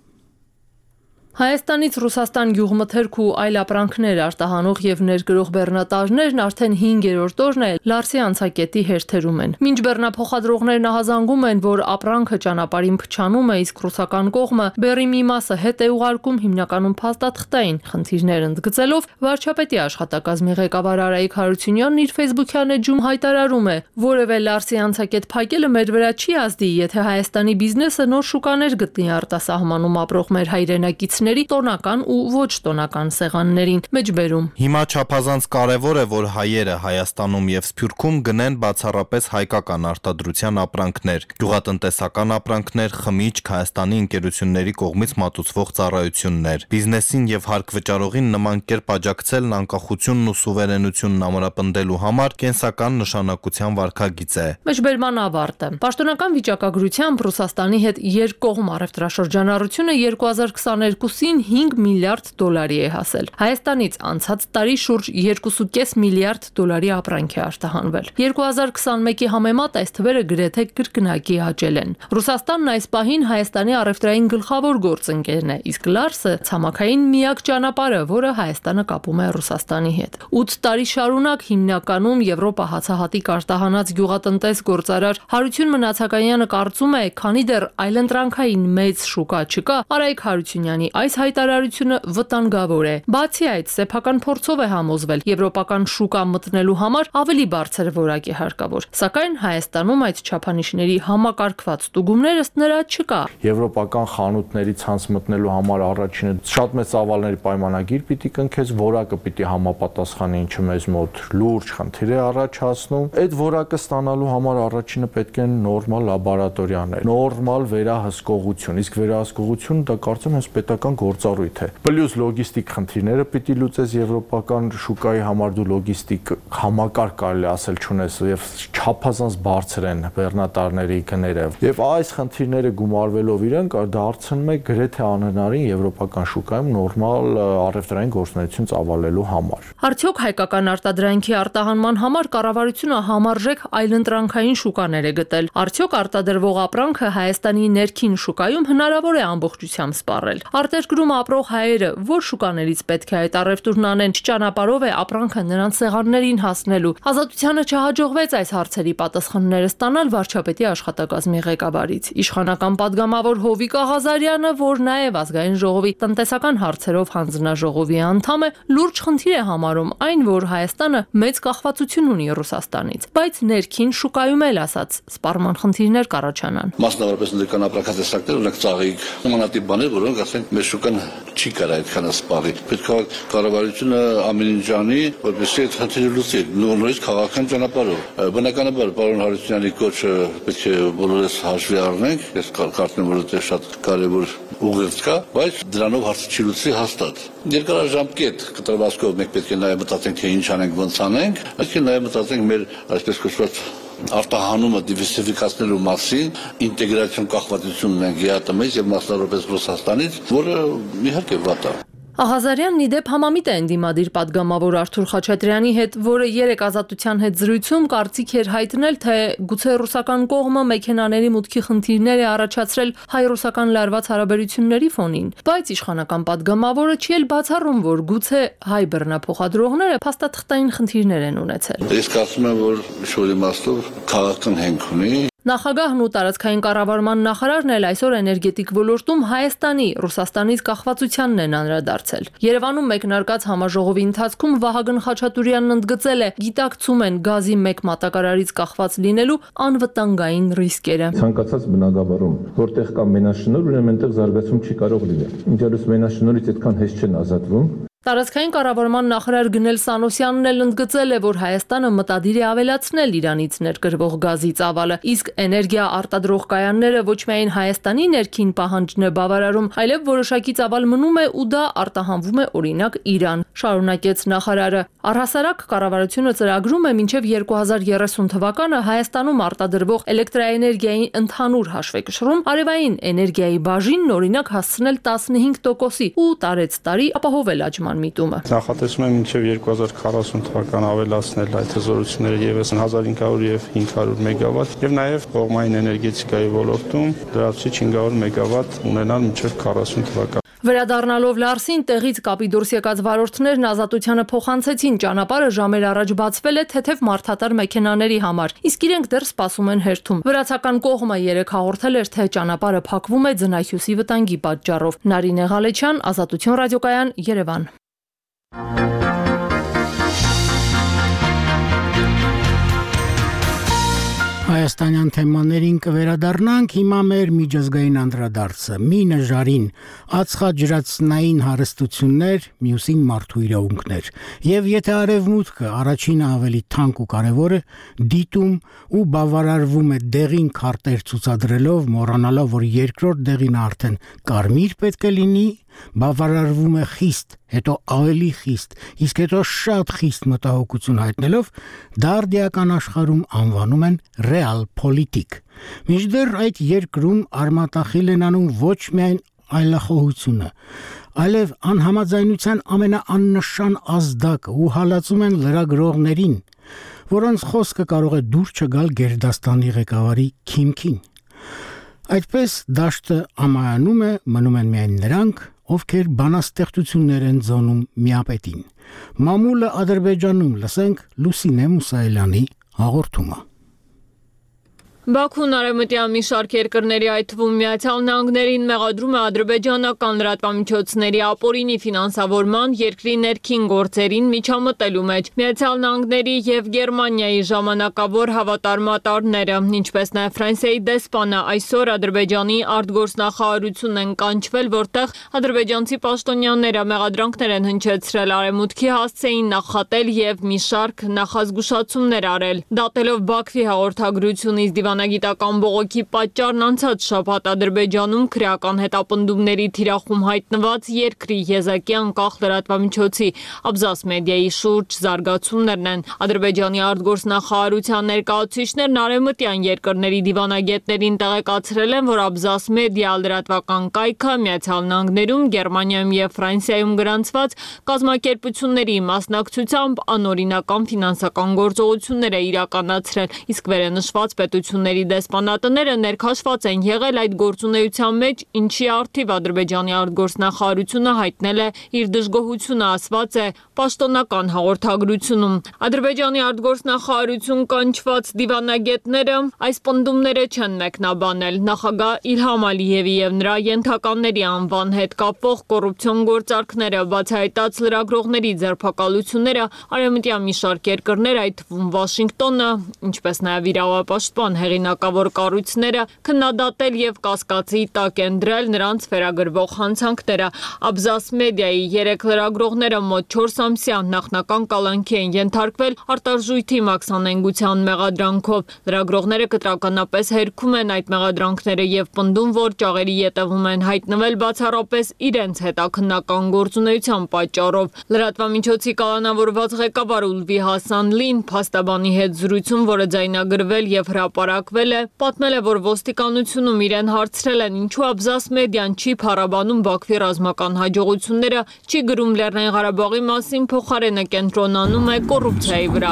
Հայաստանից Ռուսաստան գյուղմթերք ու այլ ապրանքներ արտահանող եւ ներգրող բեռնատարներն արդեն հինգերորդ օրն է Լարսի անցակետի հերթերում են։ Մինչ բեռնափոխադրողներն ահազանգում են, որ ապրանքը ճանապարհին փչանում է, իսկ ռուսական կողմը բեռի մի մասը հետ է ուղարկում հիմնականում փաստաթղթային խնդիրներ ընդգծելով, վարչապետի աշխատակազմի ղեկավար Արայիկ Հարությունյանն իր Facebook-յան էջում հայտարարում է, որևէ Լարսի անցակետ փակելը մեր վրա չի ազդի, եթե Հայաստանի բիզնեսը նոր շուկաներ գտնի արտասահմանում ապրող մեր հայրենակիցների տոնական ու ոչ տոնական սեղաններին մեջբերում։ Հիմա չափազանց կարևոր է, որ հայերը Հայաստանում եւ Սփյուռքում գնեն բացառապես հայկական արտադրության ապրանքներ, գյուղատնտեսական ապրանքներ, խմիչք, Հայաստանի ընկերությունների կողմից մատուցվող ծառայություններ։ Բիզնեսին եւ հարկ-վճարողին նման կերպ աջակցելն անկախությունն ու սուվերենությունն ամրապնդելու համար կենսական նշանակության վարքագիծ է։ Մեջբերման ավարտը։ Պաշտոնական վիճակագրությամբ Ռուսաստանի հետ երկկողմ առևտրաշրջանառությունը երկու հազար քսաներկուսին հինգ միլիարդ դոլարի է հասել։ Հայաստանից անցած տարի շուրջ երկու կόμma պենս միլիարդ դոլարի ապրանք է արտահանվել։ երկու հազար քսանմեկի համեմատ այս թվերը գրեթե կրկնակի աճել են։ Ռուսաստանն այս պահին Հայաստանի առևտրային գլխավոր գործընկերն է, իսկ Լարսը ցամաքային միակ ճանապարհը, որը Հայաստանը կապում է Ռուսաստանի հետ։ ութ տարի շարունակ հիմնականում Եվրոպա հացահատիկ արտահանած գյուղատնտես գործարար Հարություն Մնացականյանը կարծում է, քանի դեռ այլընտրանքային մեծ շուկա չկա, Արայիկ Հարությունյանի այս հայտարարությունը վտանգավոր է։ Բացի այդ, սեփական փորձով է համոզվել, եվրոպական շուկա մտնելու համար ավելի բարձր որակ է հարկավոր։ Սակայն Հայաստանում այդ չափանիշների համակարգված ստուգումներ ըստ նրա չկա։ Եվրոպական խանութների ցանց մտնելու համար առաջինը շատ մեծ ծավալների պայմանագիր պիտի կնքես, որակը պիտի համապատասխանի, ինչը մեզ մոտ լուրջ խնդիր է առաջացնում։ Այդ որակը ստանալու համար առաջինը պետք է նորմալ լաբորատորիաներ, նորմալ վերահսկողություն, իսկ վերահսկողությունը դա կարծում եմ պետական գործառույթ է։ Պլյուս լոգիստիկ խնդիրները պիտի լուծես եվրոպական շուկայի համար, դու լոգիստիկ համակարգ կարելի ասել չունես եւ չափազանց բարձր են բեռնատարների գները։ Եվ այս խնդիրները գումարվելով իրենք դարձնում է գրեթե անհնարին եվրոպական շուկայում նորմալ առևտրային գործունեություն ծավալելու համար։ Արդյոք հայկական արտադրանքի արտահանման համար կառավարությունը համարժեք այլընտրանքային շուկաներ է գտել։ Արդյոք արտադրվող ապրանքը Հայաստանի ներքին շուկայում հնարավոր է ամբողջությամբ սպառել։ Արտերկրում ապրող հայերը որ շուկաներից պետք է այդ առևտուրն անեն, ճանապարհով է ապրանքը նրանց սեղաններին հասնելու։ Ազատությանը չհաջողվեց այս հարցերի պատասխանները ստանալ վարչապետի աշխատակազմի ղեկավարից։ Իշխանական падգամավոր Հովիկ Աղազարյանը, որ նաև ազգային ժողովի տնտեսական հարցերով հանձնաժողովի անդամ է, լուրջ խնդիր է համարում այն, որ Հայաստանը մեծ կախվածություն ունի Ռուսաստանից, բայց ներքին շուկայում էլ ասած սպառման խնդիրներ կառաջանան։ Մասնավորապես ներքան ապրանքատեսակներ, օրինակ ծաղիկ, նմանատիպ բաներ, որոնք ասենք մեր շուկան չի կարող այդքան սպառի։ Պետք է կառավարությունը ամեն ինչ անի, որպեսզի այդ խնդիրը լուծի, նորից քաղաքական ճանապարհով։ Բնականաբար պարոն Հարությունյանի կոչը պետք է բոլորս հաշվի առնենք, ես կարծում եմ, որ դա շատ կարևոր ուղերձ կա, բայց դրանով հարցը չի լուծի հաստատ։ Երկարաժամկետ կտրվածքով մենք պետք է նաև մտածենք, թե ինչ անենք, ոնց անենք, պետք է նաև մտածենք մեր այսպես կոչված արտահանումը դիվերսիֆիկացնելու մասին, ինտեգրացիոն կախվածությունն ենք ԵԱՏՄ-ից եւ մասնավորապես Ռուսաստանից, որը իհարկե վատ է։ Աղազարյանն ի դեպ համամիտ է ընդդիմադիր պատգամավոր Արթուր Խաչատրյանի հետ, որը երեք Ազատության հետ զրույցում կարծիք էր հայտնել, թե գուցե ռուսական կողմը մեքենաների մուտքի խնդիրներ է առաջացրել հայ-ռուսական լարված հարաբերությունների ֆոնին, բայց իշխանական պատգամավորը չի էլ բացառում, որ գուցե հայ բռնափոխադրողները փաստաթղթային խնդիրներ են ունեցել։ Ես կարծում եմ, որ շուրի մաստով քաղաքական հենք ունի։ Նախագահն ու տարածքային կառավարման նախարարն էլ այսօր էներգետիկ ոլորտում Հայաստանի Ռուսաստանից կախվածությանն են անդրադարձել։ Երևանում մեկնարկած համաժողովի ընթացքում Վահագն Խաչատուրյանն ընդգծել է, գիտակցում են գազի մեկ մատակարարից կախված լինելու անվտանգային ռիսկերը։ Ցանկացած բնակավարում, որտեղ կա մենաշնորհ, ուրեմն այնտեղ զարգացում չի կարող լինել։ Ինչպես մենաշնորհից այդքան հեշտ չեն ազատվում։ Տարածքային կառավարման նախարար Գնել Սանոսյանն էլ ընդգծել է, որ Հայաստանը մտադիր է ավելացնել Իրանից ներկրվող գազի ծավալը, իսկ էներգիա արտադրող կայանները ոչ միայն Հայաստանի ներքին պահանջն է բավարարում, այլև որոշակի ծավալ մնում է ու դա արտահանվում է օրինակ Իրան, շարունակեց նախարարը։ Առհասարակ կառավարությունը ծրագրում է մինչև երկու հազար երեսուն թվականը Հայաստանում արտադրվող էլեկտրաէներգիայի ընդհանուր հաշվեկշռում արևային էներգիայի բաժինն օրինակ հասցնել տասնհինգ տոկոսի ու տարեց տարի ապահովել աճման միտումը։ Նախատեսում եմ մինչև երկու հազար քառասուն թվական ավելացնել այդ հզորությունները ևս հազար հինգ հարյուր եւ հինգ հարյուր մեգավատ եւ նաեւ կողմային էներգետիկայի ոլորտում լրացուցիչ հինգ հարյուր մեգավատ ունենալ մինչև քառասուն թվական։ Վերադառնալով Լարսին, տեղից կապի դուրս եկած վարորդներն Ազատությանը փոխանցեցին, ճանապարհը ժամեր առաջ բացվել է թեթև մարդատար մեքենաների համար, իսկ իրենք դեռ սպասում են հերթում։ Վրացական կողմը երեկ հաղորդել էր, թե ճանապարհը փակվում է ձնահյուսի վտանգի պատճառով։ Նարինե Ղալեչյան, Ազատություն ռադիոկայան, Երևան։ Հայաստանյան թեմաներին կվերադառնանք, հիմա մեր միջազգային անդրադարձը՝ մինը ժարին, ածխաջրածնային հարստություններ, մյուսին մարդու իրավունքներ։ Եվ եթե արևմուտքը առաջինը ավելի թանկ ու կարևոր է, դիտում ու բավարարվում է դեղին քարտեր ցուցադրելով, մոռանալով, որ երկրորդ դեղին արդեն կարմիր պետք է լինի, բավարարվում է խիստ, հետո ավելի խիստ, իսկ հետո շատ խիստ մտահոգություն հայտնելով, դարդիական աշխարհում անվանում են ռեալ պոլիտիկ։ Մինչդեռ այդ երկրում արմատախիլ են անում ոչ միայն այլախոհությունը, այլև անհամաձայնության ամենաաննշան ազդակը ու հալածում են լրագրողներին, որոնց խոսքը կարող է դուր չգալ Գերդաստանի ղեկավարի քիմքին։ Այդպես դաշտը ամայանում է, մնում են միայն նրանք, ովքեր բանաստեղծություններ են ձոնում միապետին։ Մամուլը Ադրբեջանում, լսենք Լուսինե Մուսայելյանի հաղորդումը։ Բաքուն արևմտյան մի շարք երկրների, այդ թվում Միացյալ Նահանգներին մեղադրում է ադրբեջանական լրատվամիջոցների ապօրինի ֆինանսավորման, երկրի ներքին գործերին միջամտելու մեջ։ Միացյալ Նահանգների եւ Գերմանիայի ժամանակավոր հավատարմատարները, ինչպես նաեւ Ֆրանսիայի դեսպանը այսօր Ադրբեջանի արտգործնախարարությունն են կանչվել, որտեղ ադրբեջանցի պաշտոնյաները մեղադրանքներ են հնչեցրել արևմուտքի հասցեին նախատել եւ մի շարք նախազգուշացումներ արել։ Դատելով Բաքվի հաղորդագրությունից դիվանագիտական բողոքի պատճառն անցած շաբաթ Ադրբեջանում քրեական հետապնդումների թիրախում հայտնված երկրի եզակի անկախ լրատվամիջոցի Աբզաս մեդիայի շուրջ զարգացումներն են։ Ադրբեջանի արտգործնախարարության ներկայացուցիչներն արևմտյան երկրների դիվանագետներին տեղեկացրել են, որ Աբզաս մեդիա լրատվական կայքը Միացյալ Նահանգներում, Գերմանիայում եւ Ֆրանսիայում գրանցված կազմակերպությունների մասնակցությամբ անօրինական ֆինանսական գործողություններ է իրականացրել, իսկ վերենշված պետությունների դեսպանատները ներքաշված են եղել այդ գործունեության մեջ, ինչի առթիվ Ադրբեջանի արտգործնախարարությունը հայտնել է իր դժգոհությունը, ասված է պաշտոնական հաղորդագրությունում։ Ադրբեջանի արտգործնախարարություն կանչված դիվանագետները այս պնդումները չեն մեկնաբանել։ Նախագահ Իլհամ Ալիևի եւ նրա ենթականների անվան հետ կապվող կոռուպցիոն գործարքները, բացահայտած լրագրողների ձերբակալությունները, արևմտյան մի շարք երկրներ, այդ թվում Վաշինգտոնը, ինչպես նաեւ իրավապաշտպան հեղինակավոր կառույցները քննադատել եւ կասկածի տակ են դրել նրանց վերագրվող հանցանքները։ Աբզաս մեդիայի երեք լրագրողները մոտ չորս ամսյա նախնական կալանքի են ենթարկվել արտարժույթի մաքսանենգության մեղադրանքով։ Լրագրողները կտրականապես հերքում են այդ մեղադրանքները եւ պնդում, որ ճաղերի ետևում են հայտնվել բացառապես իրենց հետաքննական գործունեության պատճառով։ Լրատվամիջոցի կալանավորված ղեկավար Ուլվի Հասանլին փաստաբանի հետ զրույցում, որը ձայնագրվել եւ հրապարակ կրակվել է, պատմել է, որ ոստիկանությունում իրեն հարցրել են ինչու Աբզաս մեդիան չի փառաբանում Բաքվի ռազմական հաջողությունները, չի գրում Լեռնային Ղարաբաղի մասին, փոխարենը կենտրոնանում է կոռուպցիայի վրա։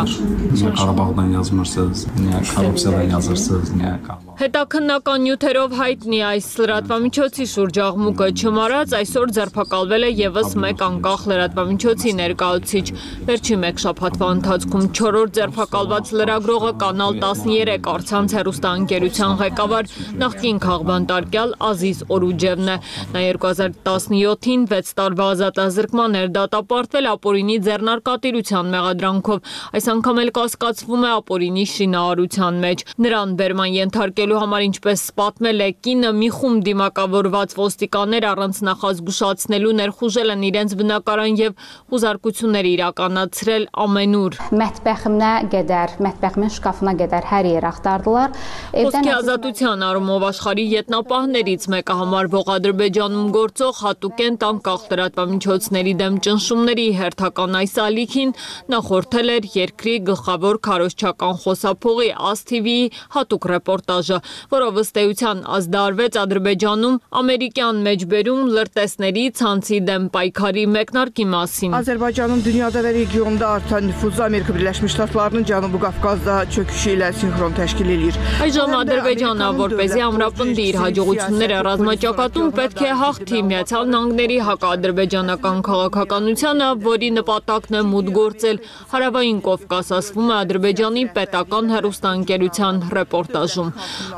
Հետաքննական նյութերով հայտնի այս լրատվամիջոցի շուրջ աղմուկը չմարած, այսօր ձերբակալվել է ևս մեկ անկախ լրատվամիջոցի ներկայացուցիչ։ Վերջին մեկ շաբաթվա ընթացքում չորրորդ ձերբակալված լրագրողը Կանալ տասներեք առցանց հեռուստաընկերության ղեկավար նախկին քաղբանտարկյալ Ազիզ Օրուջևն է։ Նա երկու հազար տասնյոթին վեց տարվա ազատազրկման էր դատապարտվել ապօրինի ձեռնարկատիրության մեղադրանքով։ Այս անգամ էլ կասկածվում է ապօրինի շինարարության մեջ։ Նրան բերման ենթարկելու համար, ինչպես պատմել է կինը, մի խումբ դիմակավորված ոստիկաններ առանց նախազգուշացնելու ներխուժել են իրենց բնակարան եւ հուզարկություններ իրականացրել ամենուր։ Մətbəximə qədər, մətbəximin şkafına qədər hər yer axtardılar. Խոսքի ազատության առումով աշխարհի ետնապահներից մեկը համարվող Ադրբեջանում գործող հատուկենտ անկախ լրատվամիջոցների դեմ ճնշումների հերթական այս ալիքին նախորդել էր երկրի գլխավոր քարոզչական խոսափողի Աս թի վիի հատուկ ռեպորտաժը, որով ըստ էության ազդարվեց Ադրբեջանում ամերիկյան մեջբերում լրտեսների ցանցի դեմ պայքարի մեկնարկի մասին։ Azərbaycanın dünyada və regionda artan nüfuzu Amerika Birləşmiş Ştatlarının Cənubi Qafqazda çöküşü ilə sinxron təşkil edir։ Այժմ Ադրբեջանը, որպեսզի ամրապնդի իր հաջողությունները ռազմաճակատում, պետք է հաղթի Միացյալ Նահանգների հակաադրբեջանական քաղաքականությանը, որի նպատակն է մուտք գործել Հարավային Կովկաս, ասվում է Ադրբեջանի պետական հեռուստաընկերության ռեպորտաժում։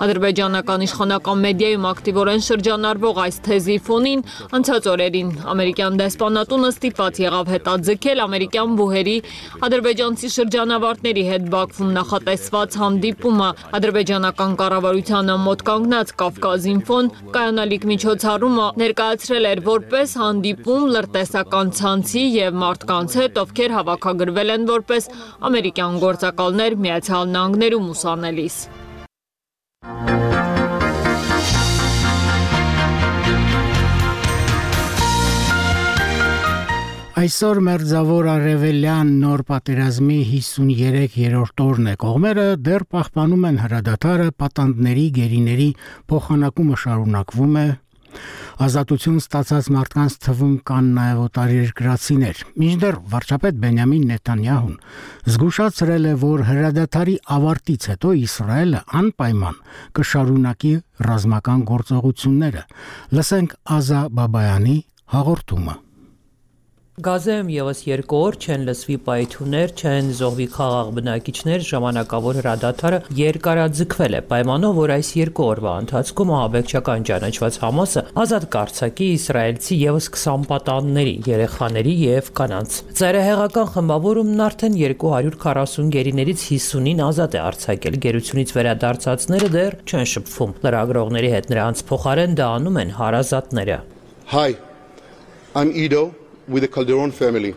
Ադրբեջանական իշխանական մեդիայում ակտիվորեն շրջանառվող այս թեզի ֆոնին անցած օրերին ամերիկյան դեսպանատունը ստիպված եղավ հետաձգել ամերիկյան բուհերի ադրբեջանցի շրջանավարտների հետ Բաքվում նախատեսված հանդիպումը։ Ադրբեջանական կառավարությանը մոտ կանգնած Կավկազինֆոն կայանալիք միջոցառումը ներկայացրել էր որպես հանդիպում լրտեսական ցանցի եւ մարդկանց հետ, ովքեր հավաքագրվել են որպես ամերիկյան գործակալներ Միացյալ Նահանգներում ուսանելիս։ Այսօր մերձավոր արևելյան նոր պատերազմի հիսուներեք-երրորդ օրն է, կողմերը դեռ պահպանում են հրադադարը, պատանդների, գերիների փոխանակումը շարունակվում է, ազատություն ստացած մարդկանց թվում կան նաև օտարերկրացիներ։ Մինչդեռ վարչապետ Բենյամին Նեթանյահուն զգուշացրել է, որ հրադադարի ավարտից հետո Իսրայելը անպայման կշարունակի ռազմական գործողությունները։ Լսենք Ազա Բաբայանի հաղորդումը։ Գազայում ևս երկու օր չեն լսվի պայթյուններ, չեն զոհվի խաղաղ բնակիչներ, ժամանակավոր հրադադարը երկարաձգվել է, պայմանով, որ այս երկու օրվա ընթացքում ահաբեկչական ճանաչված Համասը ազատ կարձակի իսրայելցի ևս քսան պատանդների, երեխաների եւ կանանց։ Ծայրահեղական խմբավորումն արդեն երկու հարյուր քառասուն գերիներից հիսունին ազատ է արձակել, գերությունից վերադարձածները դեռ չեն շփվում։ Լրագրողների հետ նրանց փոխարեն դա անում են հարազատները։ Hi, I'm Ido with the Calderon family.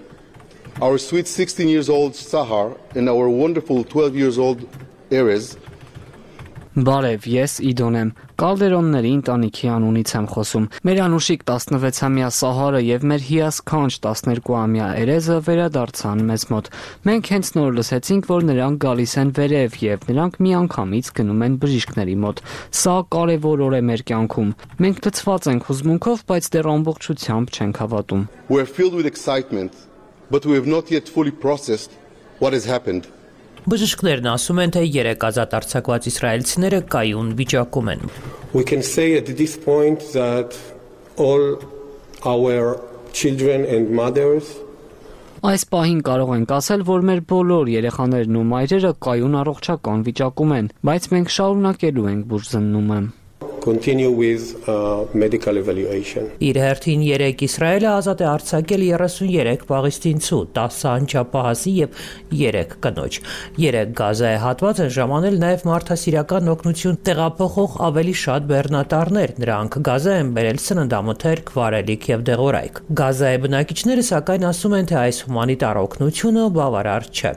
Our sweet sixteen years old Sahar and our wonderful twelve years old Erez. Բարև, ես Իդոն եմ, Կալդերոնների ընտանիքի անունից եմ խոսում։ Մեր անուշիկ տասնվեցամյա Սահարը եւ մեր հիասքանչ տասներկուամյա Էրեզը վերադարձան մեզ մոտ։ Մենք հենց նոր լսեցինք, որ նրանք գալիս են վերև եւ նրանք միանգամից գնում են բժիշկների մոտ։ Սա կարեւոր օր է մեր կյանքում։ Մենք լցված ենք հուզմունքով, բայց դեռ ամբողջությամբ չենք հավատում։ We're filled with excitement, but we have not yet fully processed what has happened. Բժիշկներն ասում են, թե երեք ազատ արձակված իսրայելցիները կայուն վիճակում են։ We can say at this point that all our children and mothers Այս պահին կարող ենք ասել, որ մեր բոլոր երեխաներն ու մայրերը կայուն առողջական վիճակում են, բայց մենք շարունակելու ենք բուժզննումը։ continue with uh, medical evaluation. Իր հերթին երեք Իսրայելը ազատ է արձակել երեսունյերեք պաղեստինցու, տասը անչափահասի եւ երեք կնոջ։ երեք Գազայի հատված են ժամանել նաեւ մարդասիրական օգնություն տեղափոխող ավելի շատ բեռնատարներ։ Նրանք Գազա են բերել սննդամթերք, վարելիք եւ դեղորայք։ Գազայի բնակիչները սակայն ասում են, թե այս հումանիտար օգնությունը բավարար չէ։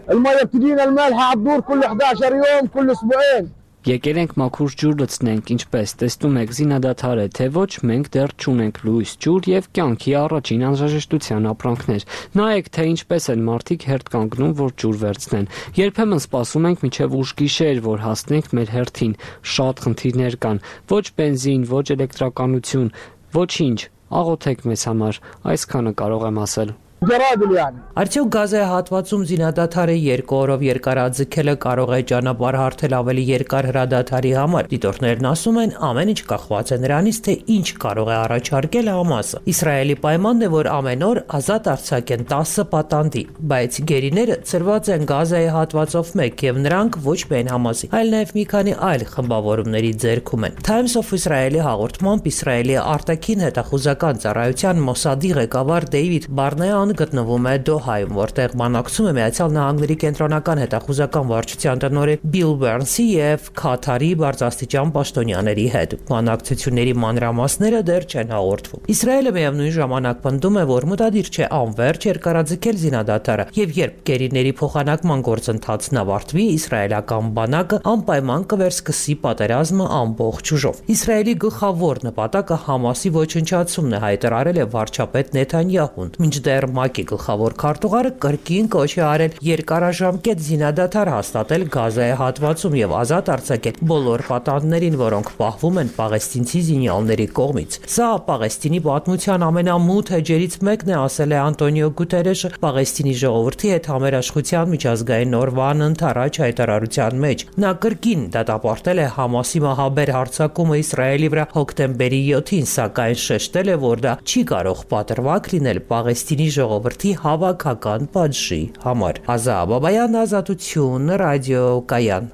Եկել ենք մաքուր ջուր լցնենք, ինչպես տեսնում եք զինադադար է, թե ոչ, մենք դեռ չունենք լույս, ջուր եւ կյանքի առաջին անհրաժեշտության ապրանքներ։ Նայեք, թե ինչպես են մարդիկ հերթ կանգնում, որ ջուր վերցնեն։ Երբեմն սպասում ենք մինչև ուշ գիշեր, որ հասնենք մեր հերթին։ Շատ խնդիրներ կան, ոչ բենզին, ոչ էլեկտրականություն, ոչինչ։ Աղոթեք մեզ համար, այսքանը կարող եմ ասել։ Արդյոք Գազայի հատվածում զինադադարը երկու օրով երկարաձգելը կարող է ճանապարհ հարթել ավելի երկար հրադադարի համար։ Դիտորդներն ասում են, ամեն ինչ կախված է նրանից, թե ինչ կարող է առաջարկել Համասը։ Իսրայելի պայմանն է, որ ամեն օր ազատ արձակեն տասը պատանդի, բայց գերիները ծրված են Գազայի հատվածով մեկ եւ նրանք ոչ միայն Համասի, այլ նաեւ մի քանի այլ խմբավորումների ձեռքում են։ Times of Israel-ի հաղորդմամբ Իսրայելի արտաքին հետախուզական ծառայության Մոսադի ղեկավար Դեյվիդ Բարնեան գտնվում է Դոհայում, որտեղ բանակցում է Միացյալ Նահանգների կենտրոնական հետախուզական վարչության տնօրեն Բիլ Բերնսի եւ Քաթարի բարձրաստիճան պաշտոնյաների հետ։ Բանակցությունների մանրամասները դեռ չեն հաղորդվում։ Իսրայելը միևնույն ժամանակ պնդում է, որ մտադիր չէ անվերջ երկարաձգել զինադադարը, եւ երբ գերիների փոխանակման գործընթացն ավարտվի, իսրայելական բանակը անպայման կվերսկսի պատերազմը ամբողջ ուժով։ Իսրայելի գլխավոր նպատակը Համասի ոչնչացումն է, հայտարարել է վարչապետ Նեթանյահուն, մինչդեռ ՄԱԿ-ի գլխավոր քարտուղարը կրկին կոչ է արել երկարաժամկետ զինադադար հաստատել Գազայի հատվածում եւ ազատ արձակել բոլոր պատանդներին, որոնք պահվում են պաղեստինցի զինյալների կողմից։ Սա Պաղեստինի պատմության ամենամութ էջերից մեկն է, ասել է Անտոնիո Գուտերեշը Պաղեստինի ժողովրդի հետ համերաշխության միջազգային օրվան ընթരാճ հայտարարության մեջ։ Նա կրկին դատապարտել է Համասի մահաբեր հարձակումը Իսրայելի վրա հոկտեմբերի յոթին, սակայն շեշտել է, որ դա չի կարող պատրվակ լինել Պաղեստինի ժողովրդի հավաքական պատժի համար։ Ազա Բաբայան, Ազատություն, ռադիո Կայան։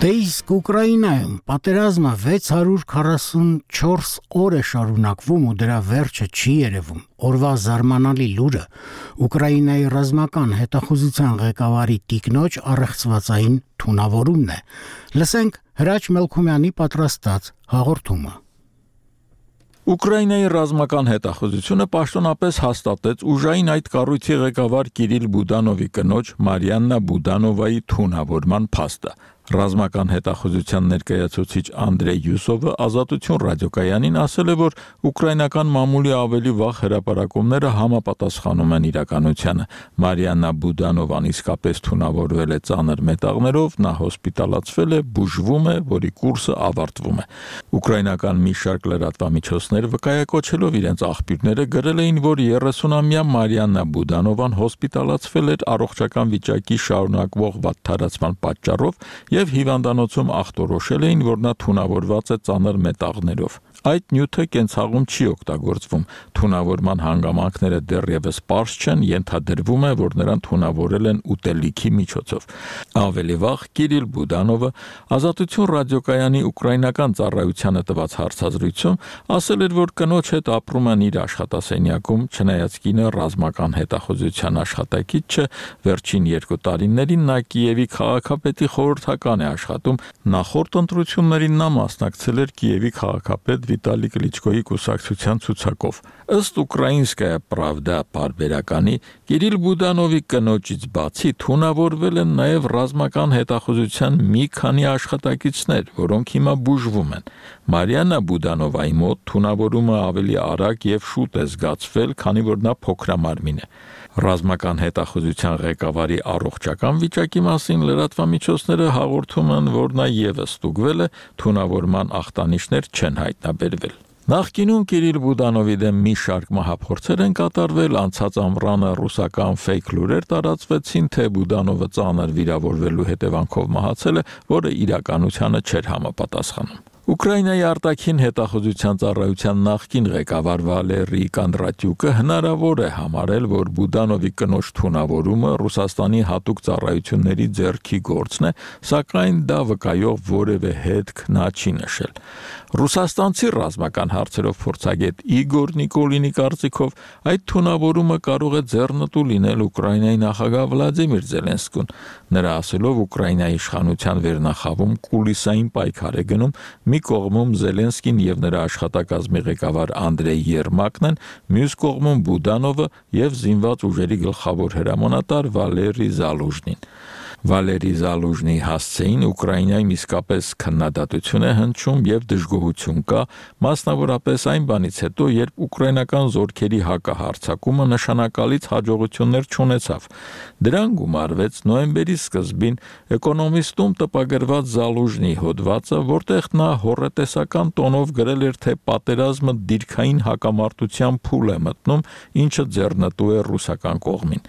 Դե իսկ Ուկրաինայում պատերազմը վեց հարյուր քառասունչորս օր է շարունակվում ու դրա վերջը չի երևում։ Օրվա զարմանալի լուրը Ուկրաինայի ռազմական հետախուզության ղեկավարի տիկնոջ առեղծվածային թունավորումն է։ Լսենք Հրաչ Մելքումյանի պատրաստած հաղորդումը։ Ուկրաինայի ռազմական հետախուզությունը պաշտոնապես հաստատեց ուժային այդ կառույցի ղեկավար Կիրիլ Բուդանովի կնոջ Մարիաննա Բուդանովայի թունավորման փաստը։ Ռազմական հետախուզության ներկայացուցիչ Անդրեյ Յուսովը Ազատություն ռադիոկայանին ասել է, որ ուկրաինական մամուլի ավելի վաղ հրապարակումները համապատասխանում են իրականությանը։ Մարիաննա Բուդանովան իսկապես թունավորվել է ծանր մետաղներով, նա հոսպիտալացվել է, բուժվում է, որի կուրսը ավարտվում է։ Ուկրաինական մի շարք լրատվամիջոցներ վկայակոչելով իրենց աղբյուրները գրել էին, որ երեսունամյա Մարիաննա Բուդանովան հոսպիտալացվել էր առողջական վիճակի շարունակվող վատթարացման պատճառով եւ հիվանդանոցում ախտորոշել էին, որ նա թունավորված է ծանր մետաղներով։ Այդ նյութը կենցաղում չի օգտագործվում։ Թունավորման հանգամանքները դեռևս պարզ չեն, ենթադրվում է, որ նրան թունավորել են ուտելիքի միջոցով։ Ավելի վաղ Կիրիլ Բուդանովը Ազատություն ռադիոկայանի ուկրաինական ծառայությանը տված հարցազրույցում ասել էր, որ կնոջ հետ ապրում են իր աշխատասենյակում, չնայած կինը ռազմական հետախուզության աշխատակից չէ, վերջին երկու տարիներին նա Կիևի քաղաքապետի խորհրդական է աշխատում։ Նախորդ ընտրություններին նա մասնակցել էր Կիևի քաղաքապետ Վիտալի Կլիչկոյի կուսակցության ցուցակով։ Ըստ Ուկրաինսկայա Պրավդա բարբերականի Կիրիլ Բուդանովի կնոջից բացի թունավորվել են նաև ռազմական հետախուզության մի քանի աշխատակիցներ, որոնք հիմա բուժվում են։ Մարիաննա Բուդանովայի մոտ թունավորումը ավելի արագ եւ շուտ է զգացվել, քանի որ նա փոքրամարմին է։ Ռազմական հետախուզության ղեկավարի առողջական վիճակի մասին լրատվամիջոցները հաղորդում են, որ նա եւս ստուգվել է, թունավորման ախտանիշներ չեն հայտնաբերվել։ Նախկինում Կիրիլ Բուդանովի դեմ մի շարք մահափորձեր են կատարվել, անցած ամռանը ռուսական ֆեյք լուրեր տարածվեցին, թե Բուդանովը ծանր վիրավորվելու հետևանքով մահացել է, որը իրականությանը չէր համապատասխանում։ Ուկրաինայի արտաքին հետախուզության ծառայության նախկին ղեկավար Վալերի Կանդրատյուկը հնարավոր է համարել, որ Բուդանովի կնոջ թունավորումը Ռուսաստանի հատուկ ծառայությունների ձեռքի գործն է, սակայն դա վկայող որևէ հետք նա չի նշել։ Ռուսաստանցի ռազմական հարցերով փորձագետ Իգոր Նիկոլինի կարծիքով այդ թունավորումը կարող է ձեռնտու լինել Ուկրաինայի նախագահ Վլադիմիր Զելենսկուն։ Նրա ասելով Ուկրաինայի իշխանության վերնախավում կուլիսային պայքար է գնում, մի կողմում Զելենսկին եւ նրա աշխատակազմի ղեկավար Անդրեյ Երմակն են, մյուս կողմում Բուդանովը եւ զինված ուժերի գլխավոր հրամանատար Վալերի Զալուժնին։ Վալերի Զալուժնի հասցեին Ուկրաինայում իսկապես քննադատություն է հնչում եւ դժգոհություն կա, մասնավորապես այն բանից հետո, երբ ուկրաինական զորքերի հակահարձակումը նշանակալից հաջողություններ չունեցավ։ Դրան գումարվեց նոյեմբերի սկզբին Էկոնոմիստում տպագրված Զալուժնի հոդվածը, որտեղ նա հոռետեսական տոնով գրել էր, թե պատերազմը դիրքային հակամարտության փուլ է մտնում, ինչը ձեռնտու է ռուսական կողմին։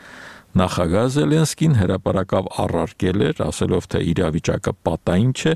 Նախագահ Զելենսկին հրապարակավ առարկել էր, ասելով, թե իրավիճակը պատային չէ,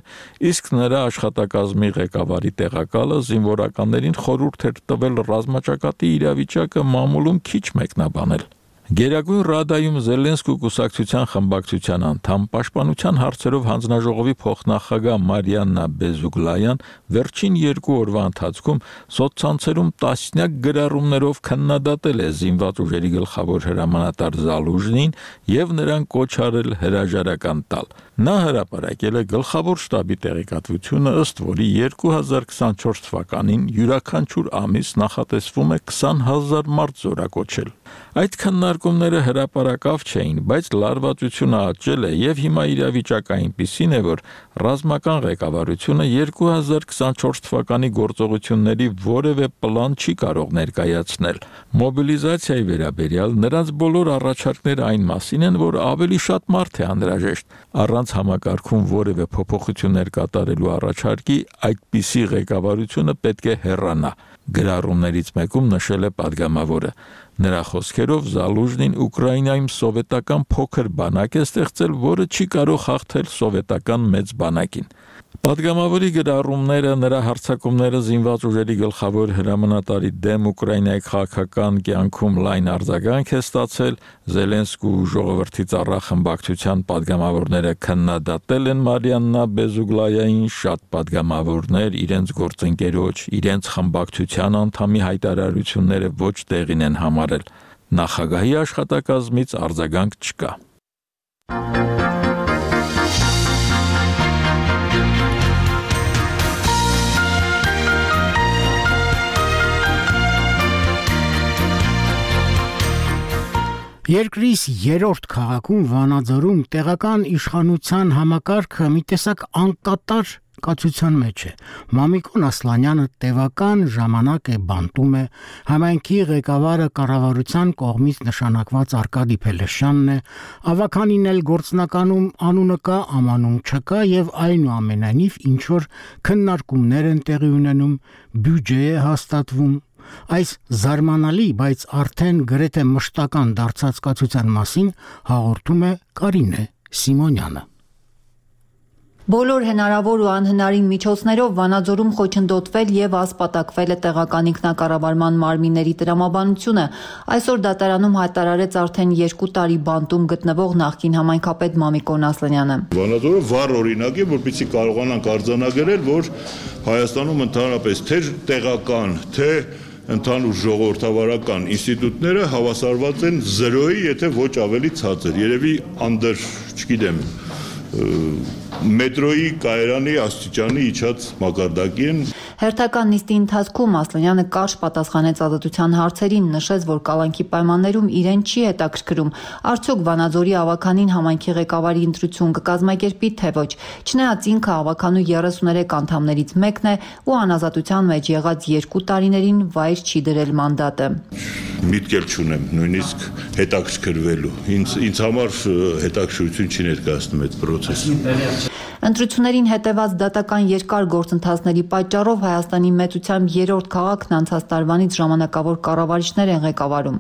իսկ նրա աշխատակազմի ղեկավարի տեղակալը զինվորականներին խորհուրդ էր տվել ռազմաճակատի իրավիճակը մամուլում քիչ մեկնաբանել։ Գերագույն Ռադայում Զելենսկու կուսակցության խմբակցության անդամ, պաշտպանության հարցերով հանձնաժողովի փոխնախագահ Մարիաննա Բեզուգլայան վերջին երկու օրվա ընթացքում սոցցանցերում տասնյակ գրառումներով քննադատել է զինված ուժերի գլխավոր հրամանատար Զալուժնին եւ նրան կոչ արել հրաժարական տալ։ Նա հրապարակել է գլխավոր շտաբի տեղեկատվությունը, ըստ որի երկու հազար քսանչորս թվականին յուրաքանչյուր ամիս նախատեսվում է քսան հազար մարդ զորակոչել։ Այդ քննարկումները հրապարակավ չէին, բայց լարվածությունը աճել է եւ հիմա իրավիճակը այնպիսին է, որ ռազմական ղեկավարությունը երկու հազար քսանչորս թվականի գործողությունների որևէ պլան չի կարող ներկայացնել։ Մոբիլիզացիայի վերաբերյալ նրանց բոլոր առաջարկները այն մասին են, որ ավելի շատ մարդ է անհրաժեշտ։ Առանց համակարգում որևէ փոփոխություններ կատարելու առաջարկի այդպիսի ղեկավարությունը պետք է հեռանա։ Գրառումներից մեկում նշել է падգամավորը։ Նրա խոսքերով Զալուժնին Ուկրաինայում սովետական փոքր բանակ է ստեղծել, որը չի կարող հաղթել սովետական մեծ բանակին։ Падգամավորի գրառումները, նրա հարձակումները զինված ուժերի գլխավոր հրամանատարի դեմ Ուկրաինայի քաղաքական կյանքում լայն արձագանք է ստացել։ Զելենսկու ժողովրդի ծառա խմբակցության падգամավորները քննադատել են Մարիաննա Բեզուգլայային, շատ падգամավորներ իրենց գործընկերոջ, իրենց խմբակցության անդամի հայտարարությունները ոչ տեղին են համարել։ Նախագահի աշխատակազմից արձագանք չկա։ Երկրիս երրորդ քաղաքում Վանաձորում տեղական իշխանության համակարգը մի տեսակ անկատար կացության մեջ է։ Մամիկոն Ասլանյանը տևական ժամանակ է բանտում է, համայնքի ղեկավարը կառավարության կողմից նշանակված Արկադի Փելեշյանն է, ավականին էլ գործնականում անունը կա, ամանուն չկա եւ այնուամենայնիվ ինչ որ քննարկումներ են տեղի ունենում, բյուջե է հաստատվում։ Այս զարմանալի, բայց արդեն գրեթե մշտական դարձած կացության մասին հաղորդում է Կարինե Սիմոնյանը։ Բոլոր հնարավոր ու անհնարին միջոցներով Վանաձորում խոչընդոտվել եւ ասպատակվել է տեղական ինքնակառավարման մարմինների տրամաբանությունը։ Այսօր դատարանում հայտարարեց արդեն երկու տարի բանտում գտնվող նախկին համայնքապետ Մամիկոն Ասլանյանը։ Վանաձորը վառ օրինակ է, որպեսզի կարողանանք արձանագրել, որ Հայաստանում ընդհանրապես թե տեղական, թե ընդհանուր ժողովրդավարական ինստիտուտները հավասարված են զրոյի, եթե ոչ ավելի ցածր։ Երևի անդր, չգիտեմ, մետրոյի կայարանի աստիճանի իջած մակարդակի են։ Հերթական նիստի ընթացքում Ասլանյանը կարճ պատասխանեց ազատության հարցերին, նշեց, որ կալանքի պայմաններում իրեն չի հետաքրքրում, արդյոք Վանաձորի ավականին համայնքի ղեկավարի ընտրություն կկազմակերպի, թե ոչ։ Չնայած ինքը ավականու երեսուներեք անդամներից մեկն է ու անազատության մեջ եղած երկու տարիներին վայր չի դրել մանդատը։ Միտք էլ չունեմ նույնիսկ հետաքրքրվելու։ Ինձ ինձ համար հետաքրքրություն չի ներկայացնում այդ process-ը։ Ընտրություններին հետևած դատական երկար գործընթացների պատճառով Հայաստանի մեծությամբ երրորդ քաղաքն անցած տարվանից ժամանակավոր կառավարիչներ են ղեկավարում։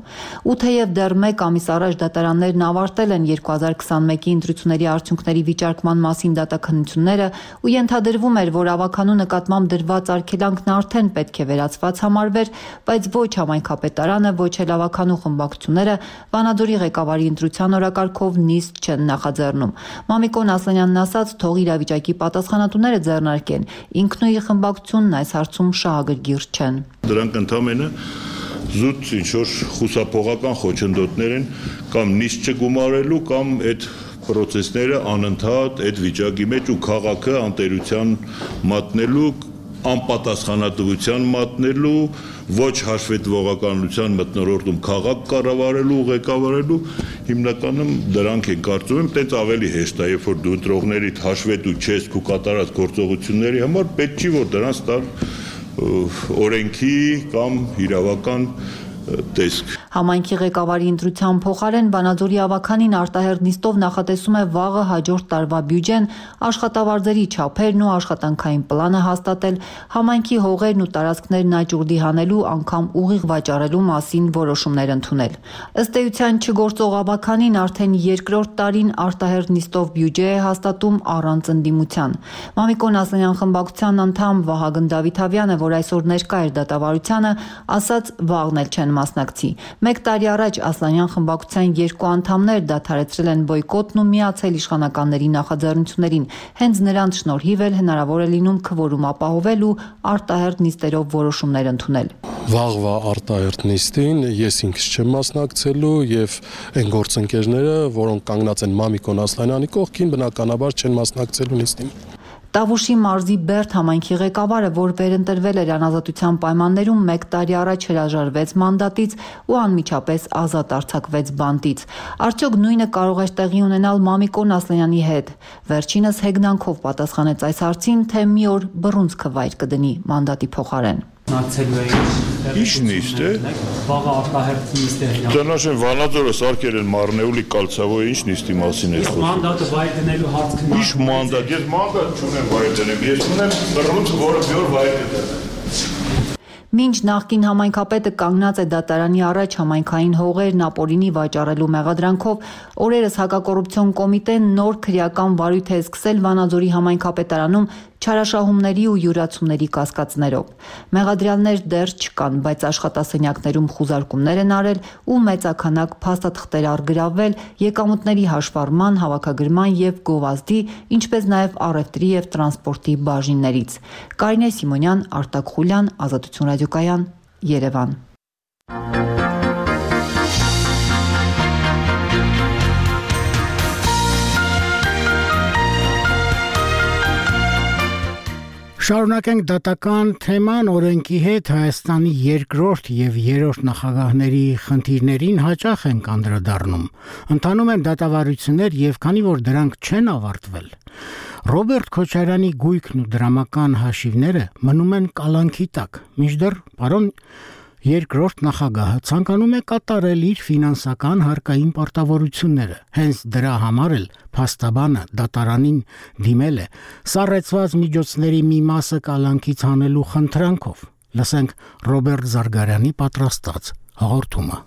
Ու թեև դեռ մեկ ամիս առաջ դատարաններն ավարտել են երկու հազար քսանմեկի ընտրությունների արդյունքների վիճարկման մասին դատաքննությունները ու ենթադրվում էր, որ ավականու նկատմամբ դրված արգելանքն արդեն պետք է վերացված համարվեր, բայց ոչ համայնքապետարանը, ոչ էլ ավականու խմբակցությունները Վանաձորի ղեկավարի ընտրության օրակարգով նիստ չեն նախաձեռնում։ Մամիկոն Ասլանյանն ասաց, թող իրավիճակի պատասխանատուները ձեռնարկեն, ինքնուի խմբակցությունն այս հարցում շահագրգիռ չեն։ Դրանք ընդհանրապես զուտ ինչ-որ խուսափողական խոչընդոտներ են կամ նիստ չգումարելու կամ այդ process-ները անընդհատ այդ վիճակի մեջ ու քաղաքը անտերության մատնելու անպատասխանատվության մատնելու, ոչ հաշվետվողականության մթնոլորտում քաղաք կառավարելու, ղեկավարելու, հիմնականում դրանք են կարծում եմ, տենց ավելի հեշտ է, երբ որ դու ընտրողներիդ հաշվետու չես քու կատարած գործողությունների համար, պետք չի որ դրանց տալ օրենքի կամ իրավական տեսք։ Համայնքի ղեկավարի ընտրության փոխարեն Վանաձորի ավականին Արտահերթ նիստով նախատեսում է վաղը հաջորդ տարվա բյուջեն, աշխատավարձերի չափերն ու աշխատանքային պլանը հաստատել, համայնքի հողերն ու տարածքներն աճուրդի հանելու, անգամ ուղիղ վաճառելու մասին որոշումներ ընդունել։ Ըստ էության չգործող ավականին արդեն երկրորդ տարին Արտահերթ նիստով բյուջե է հաստատում առանց ընդդիմության։ Մամիկոն Ասլանյան խմբակցության անդամ Վահագն Դավիթավյանը, որ այսօր ներկա էր դատավարությանը, ասաց վաղն էլ չեն մասնակցի։ Մեկ տարի առաջ Ասլանյան խմբակցության երկու անդամներ դադարեցրել են բոյկոտն ու միացել իշխանականների նախաձեռնություններին։ Հենց նրանց շնորհիվ էլ հնարավոր է լինում քվորում ապահովել ու արտահերթ նիստերով որոշումներ ընդունել։ Վաղվա արտահերթ նիստին ես ինքս չեմ մասնակցելու եւ այն գործընկերները, որոնք կանգնած են Մամիկոն Ասլանյանի կողքին, բնականաբար չեն մասնակցելու նիստին։ Տավուշի մարզի Բերդ համայնքի ղեկավարը, որ վերընտրվել էր անազատության պայմաններում, մեկ տարի առաջ հրաժարվեց մանդատից ու անմիջապես ազատ արձակվեց բանտից։ Արդյոք նույնը կարող էր տեղի ունենալ Մամիկոն Ասլանյանի հետ։ Վերջինս հեգնանքով պատասխանեց այս հարցին, թե մի օր բռունցքը վայր կդնի մանդատի փոխարեն։ Նացելու է Ինչ նիստ է Վաղը արտահերթ նիստ է Տնաշեն Վանաձորը սարքել են Մարնեուլի կալցավոյի ինչ նիստի մասին է խոսում Մանդատը վայր դնելու հարց քննարկվում Ինչ մանդատ ես մանդատ չունեմ վայր դնեմ ես ունեմ բռունց որը մի օր վայր կդնեմ Մինչ նախկին համայնքապետը կանգնած է դատարանի առաջ համայնքային հողերն ապօրինի վաճառելու մեղադրանքով, օրերս հակակոռուպցիոն կոմիտեն նոր քրեական վարույթ է սկսել Վանաձորի համայնքապետարանում չարաշահումների ու յուրացումների կասկածներով։ Մեղադրյալներ դեռ չկան, բայց աշխատասենյակներում խուզարկումներ են արել ու մեծաքանակ փաստաթղթեր առգրավվել եկամուտների հաշվառման, հավաքագրման եւ գովազդի, ինչպես նաեւ առևտրի եւ տրանսպորտի բաժիններից։ Կարինե Սիմոնյան, Արտակ Խուլյան, Ազատություն ռադիոկայան, Երևան։ Շարունակենք դատական թեման օրենքի հետ Հայաստանի երկրորդ եւ երրորդ նախագահների խնդիրներին հաճախ են անդրադառնում։ Ընթանում են դատավարություններ եւ քանի որ դրանք չեն ավարտվել, Ռոբերտ Քոչարյանի գույքն ու դրամական հաշիվները մնում են կալանքի տակ։ Մինչդեռ պարոն երկրորդ նախագահը ցանկանում է կատարել իր ֆինանսական հարկային պարտավորությունները։ Հենց դրա համար էլ փաստաբանը դատարանին դիմել է սառեցված միջոցների մի մասը կալանքից հանելու խնդրանքով։ Լսենք Ռոբերտ Զարգարյանի պատրաստած հաղորդումը։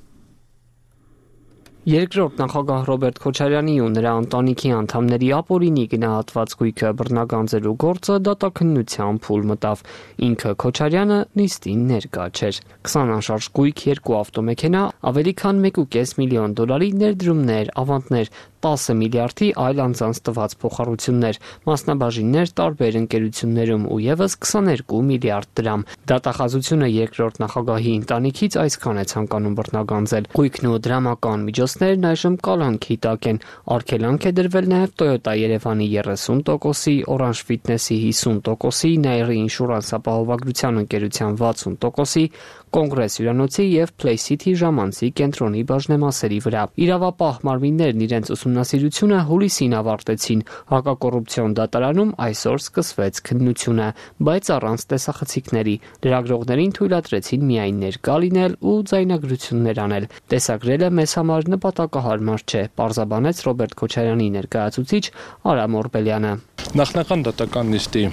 Երկրորդ նախագահ Ռոբերտ Քոչարյանի ու նրա ընտանիքի անդամների ապօրինի գնահատված գույքը բռնագանձելու գործը դատաքննության փուլ մտավ։ Ինքը Քոչարյանը նիստին ներկա չէր։ քսան անշարժ գույք, երկու ավտոմեքենա, ավելի քան մեկ կես միլիոն դոլարի ներդրումներ, ավանդներ, տասը միլիարդի այլ անձանց տված փոխառություններ, մասնաբաժիններ տարբեր ընկերություններում ու եւս քսաներկու միլիարդ դրամ։ Դատախազությունը երկրորդ նախագահի ընտանիքից այսքան է ցանկանում բռնագանձել։ Գույքն ու դրամական միջոցներն այժմ կալանքի տակ են։ Արգելանք է դրվել նաև Toyota Երևանի երեսուն տոկոսի, Orange Fitness-ի հիսուն տոկոսի, Nair Insurance ապահովագրության ընկերության վաթսուն տոկոսի, Կոնգրես հյուրանոցի եւ Play City ժամանցի կենտրոնի բաժնեմասերի վրա։ Իրավապահ մարմիններն իրենց ուսումնասիրությունը հուլիսին ավարտեցին։ Հակակոռուպցիոն դատարանում այսօր սկսվեց քննությունը, բայց առանց տեսախցիկների։ Լրագրողներին թույլատրեցին միայն ներկա լինել ու ձայնագրություններ անել։ Տեսագրելը մեզ համար նպատակահարմար չէ, պարզաբանեց Ռոբերտ Քոչարյանի ներկայացուցիչ Արամ Օրբելյանը։ Նախնական դատական նիստի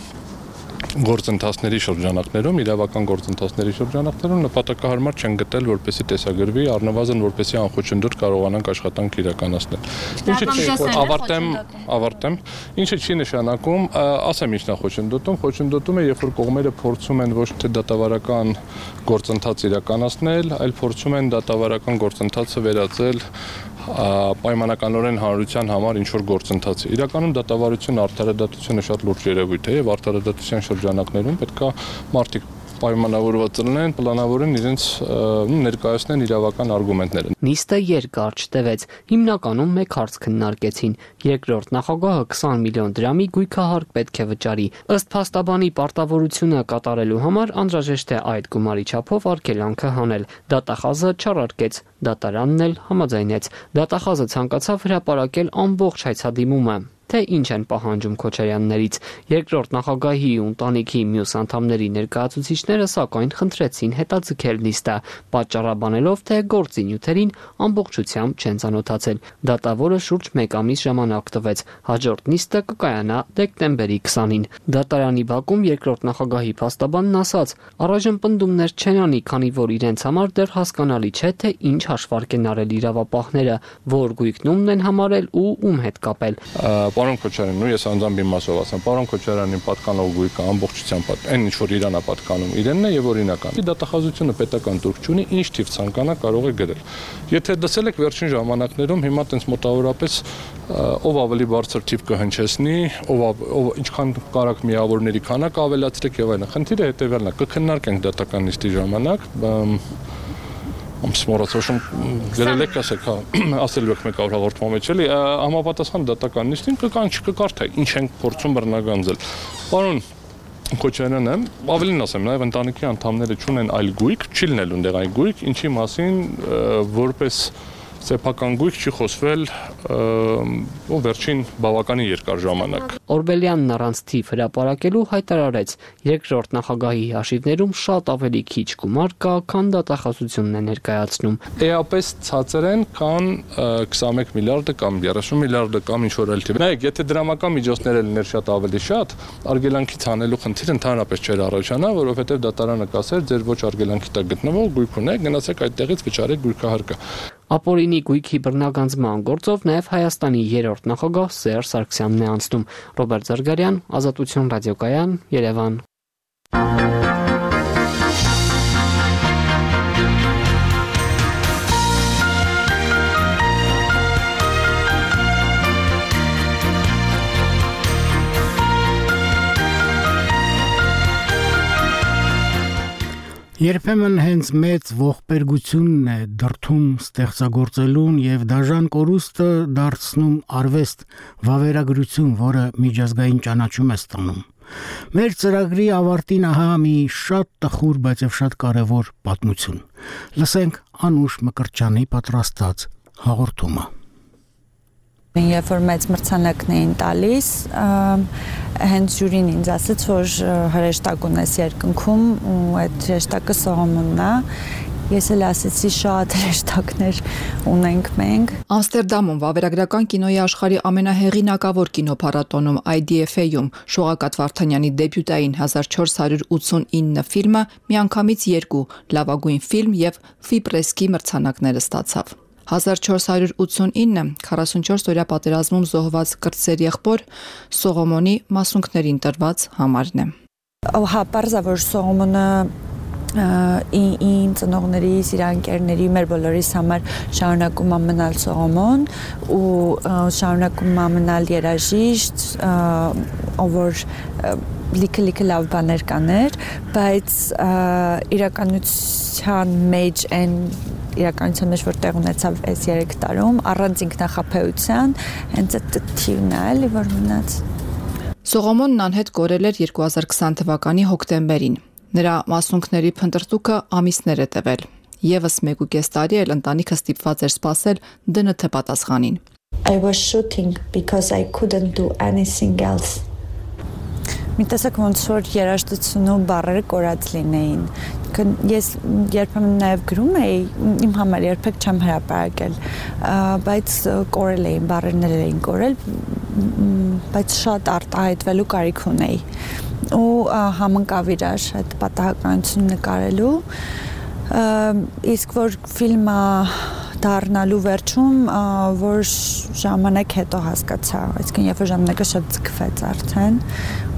գործընթացների շրջանակներում, իրավական գործընթացների շրջանակներում նպատակահարմար չեն գտել, որպեսզի տեսագրվի, առնվազն որպեսզի անխոչնդոտ կարողանանք աշխատանք իրականացնել։ Ինչը ավարտեմ, ավարտեմ, ինչը չի նշանակում, ասեմ ինչ նախոչնդոտում, խոչնդոտում է, երբ որ կողմերը փորձում են ոչ թե դատավարական գործընթաց իրականացնել, այլ փորձում են դատավարական գործընթացը վերածել պայմանականորեն հանրության համար ինչ որ գործընթաց է։ Իրականում դատավարությունը, արդարադատությունը շատ լուրջ երևույթ է եւ արդարադատության շրջանակներում պետք է մարդիկ պայմանավորված լինեն, պլանավորեն իրենց ներկայացնեն իրավական արգումենտները։ Նիստը երկար չտևեց։ Հիմնականում մեկ հարց քննարկեցին։ Երկրորդ նախագահը քսան միլիոն դրամի գույքահարկ պետք է վճարի։ Ըստ փաստաբանի պարտավորությունը կատարելու համար անհրաժեշտ է այդ գումարի չափով արգելանքը հանել։ Դատախազը չարարկեց, դատարանն էլ համաձայնեց։ Դատախազը ցանկացավ հրապարակել ամբողջ հայցադիմումը, թե ինչ են պահանջում Քոչարյաններից։ Երկրորդ նախագահի ու ընտանիքի մյուս անդամների ներկայացուցիչները սակայն խնդրեցին հետաձգել նիստը, պատճառաբանելով, թե գործի նյութերին ամբողջությամբ չեն ծանոթացել։ Դատավորը շուրջ մեկ ամիս ժամանակ տվեց։ Հաջորդ նիստը կկայանա դեկտեմբերի քսանին։ Դատարանի բակում երկրորդ նախագահի փաստաբանն ասաց. «Առայժմ պնդումներ չեն անի, քանի որ իրենց համար դեռ հասկանալի չէ, թե ինչ հաշվարկ են արել իրավապահները, որ գույքն են համարել ու ում հետ կապել»։ Պարոն Քոչարյանն ու ես անձամբ իմ մասով ասեմ, պարոն Քոչարյանին պատկանող գույքը ամբողջությամբ այն ինչ որ իրան է պատկանում, իրենն է եւ օրինական։ Դատախազությունը պետական տուրք չունի, ինչ թիվ ցանկանա կարող է գրել։ Եթե դասել եք վերջին ժամանակներում, հիմա տենց մոտավորապես ով ավելի բարձր թիվ կհնչեցնի, ով ով ինչքան կարակ միավորների քանակ ավելացրեք եւ այլն։ Խնդիրը հետեւյալն է, կքննարկենք դատական նիստի ժամանակ, ամսմորացոշում գրել եք, ասեք, հա, ասելու եք մեկ օր հաղորդման մեջ էլի, համապատասխան դատական նիստին կկան չկկարդա, ինչ են փորձում բռնագանձել։ Պարոն Քոչարյանը, ավելին ասեմ, նաև ընտանիքի անդամները չունեն այլ գույք, չի լինելու այնտեղ այլ գույք, ինչի մասին որպես սեփական գույք չի խոսվել ու վերջին բավականին երկար ժամանակ։ Օրբելյանն առանց թիվ հրապարակելու հայտարարեց. երկրորդ նախագահի հաշիվներում շատ ավելի քիչ գումար կա, քան դատախազությունն է ներկայացնում։ Էապես ցածր են, քան քսանմեկ միլիարդը կամ երեսուն միլիարդը կամ ինչ որ այլ թիվ։ Նայեք, եթե դրամական միջոցներ լիներ շատ ավելի շատ, արգելանքից հանելու խնդիր ընդհանրապես չէր առաջանա, որովհետև դատարանը կասեր, ձեր ոչ արգելանքի տակ գտնվող գույք ունեք, գնացեք այդտեղից վճարեք գույքահարկը։ Ապօրինի գույքի բռնագանձման գործով նաև Հայաստանի երրորդ նախագահ Սերժ Սարգսյանն է անցնում։ Ռոբերտ Զարգարյան, Ազատություն ռադիոկայան, Երևան։ Երբեմն հենց մեծ ողբերգությունն է դրթում ստեղծագործելուն եւ դաժան կորուստը դարձնում արվեստ, վավերագրություն, որը միջազգային ճանաչում է ստանում։ Մեր ծրագրի ավարտին ահա մի շատ տխուր, բայց եւ շատ կարեւոր պատմություն։ Լսենք Անուշ Մկրտչյանի պատրաստած հաղորդումը։ Երբ որ մեծ մրցանակն էին տալիս, հենց ժյուրին ինձ ասաց, որ հրեշտակ ունես երկնքում ու այդ հրեշտակը Սողոմոնն է։ Ես էլ ասեցի շատ հրեշտակներ ունենք մենք։ Ամստերդամում վավերագրական կինոյի աշխարհի ամենահեղինակավոր կինոփառատոնում I D F A-ում Շողակաթ Վարդանյանի դեբյուտային հազար չորս հարյուր ութսունինը ֆիլմը միանգամից երկու լավագույն ֆիլմ եւ Ֆիպրեսկի մրցանակներ ստացավ։ հազար չորս հարյուր ութսունինը քառասունչորս օրյա պատերազմում զոհված կրտսեր եղբոր Սողոմոնի մասունքներին տրված համարն է։ Հա, պարզա որ Սողոմոնը իմ ծնողների, սիրանկերների, մեր բոլորիս համար շարունակում է մնալ Սողոմոն ու շարունակում է մնալ երաժիշտ, ով որ լիքը-լիքը լավ բաներ կաներ, բայց իրականության մեջ այն իրականության մեջ որ տեղ ունեցավ այս երեք տարում, առանց ինքնախապեյության, հենց այդ թիվն է, էլի որ մնաց։ Սողոմոնն անհետ կորել էր երկու հազար քսան թվականի հոկտեմբերին։ Նրա մասունքների փնտրտուքը ամիսներ է տևել։ Եվս մեկ ու կես տարի էլ ընտանիքը ստիպված էր սպասել D N T պատասխանին։ I was shooting because I couldn't do anything else. Մի տեսակ ոնց որ երաժշտությունում բառերը կորած լինեին։ Ես երբեմն նաև գրում էի, իմ համար երբեք չեմ հրապարակել, բայց կորել էին, բառերներ էին կորել, բայց շատ արտահայտվելու կարիք ունեի։ Ու համընկավ իրար այդ պատահականություն նկարելու, իսկ որ ֆիլմը դառնալու վերջում, որ ժամանակ հետո հասկացա, այսինքն երբ որ ժամանակը շատ ձգվեց արդեն,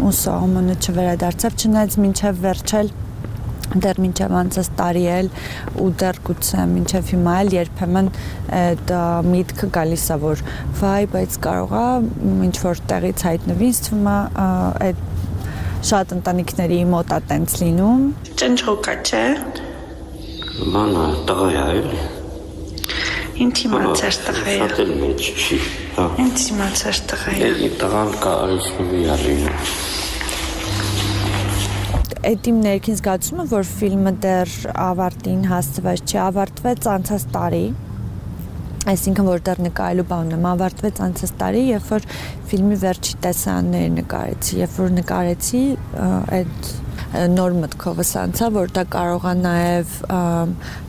ու Սողոմոնը չվերադարձավ, չնայած մինչև վերջել, դեռ մինչև անցած տարի էլ ու դեռ գուցե մինչև հիմա էլ երբեմն այդ միտքը գալիս է, որ վայ, բայց կարող է ինչ որ տեղից հայտնվի, ինձ թվում է այդ շատ ընտանիքների մոտ է տենց լինում։ Ճնճղոկա չէ։ Մանա տղա է էլի։ Ինձ իմացար տղա է։ Շատ էլ մեջ չի։ Ինձ իմացար տղա է։ Էլի տղան կա այսուհի ալին։ Այդ իմ ներքին զգացումը, որ ֆիլմը դեռ ավարտին հասցված չի, ավարտվեց անցած տարի, այսինքն որ դեռ նկարելու բանն եմ, ավարտվեց անցած տարի, երբ որ ֆիլմի վերջի տեսարանները նկարեցի, երբ որ նկարեցի, այդ նոր մտքովս անցա, որ դա կարող է նաև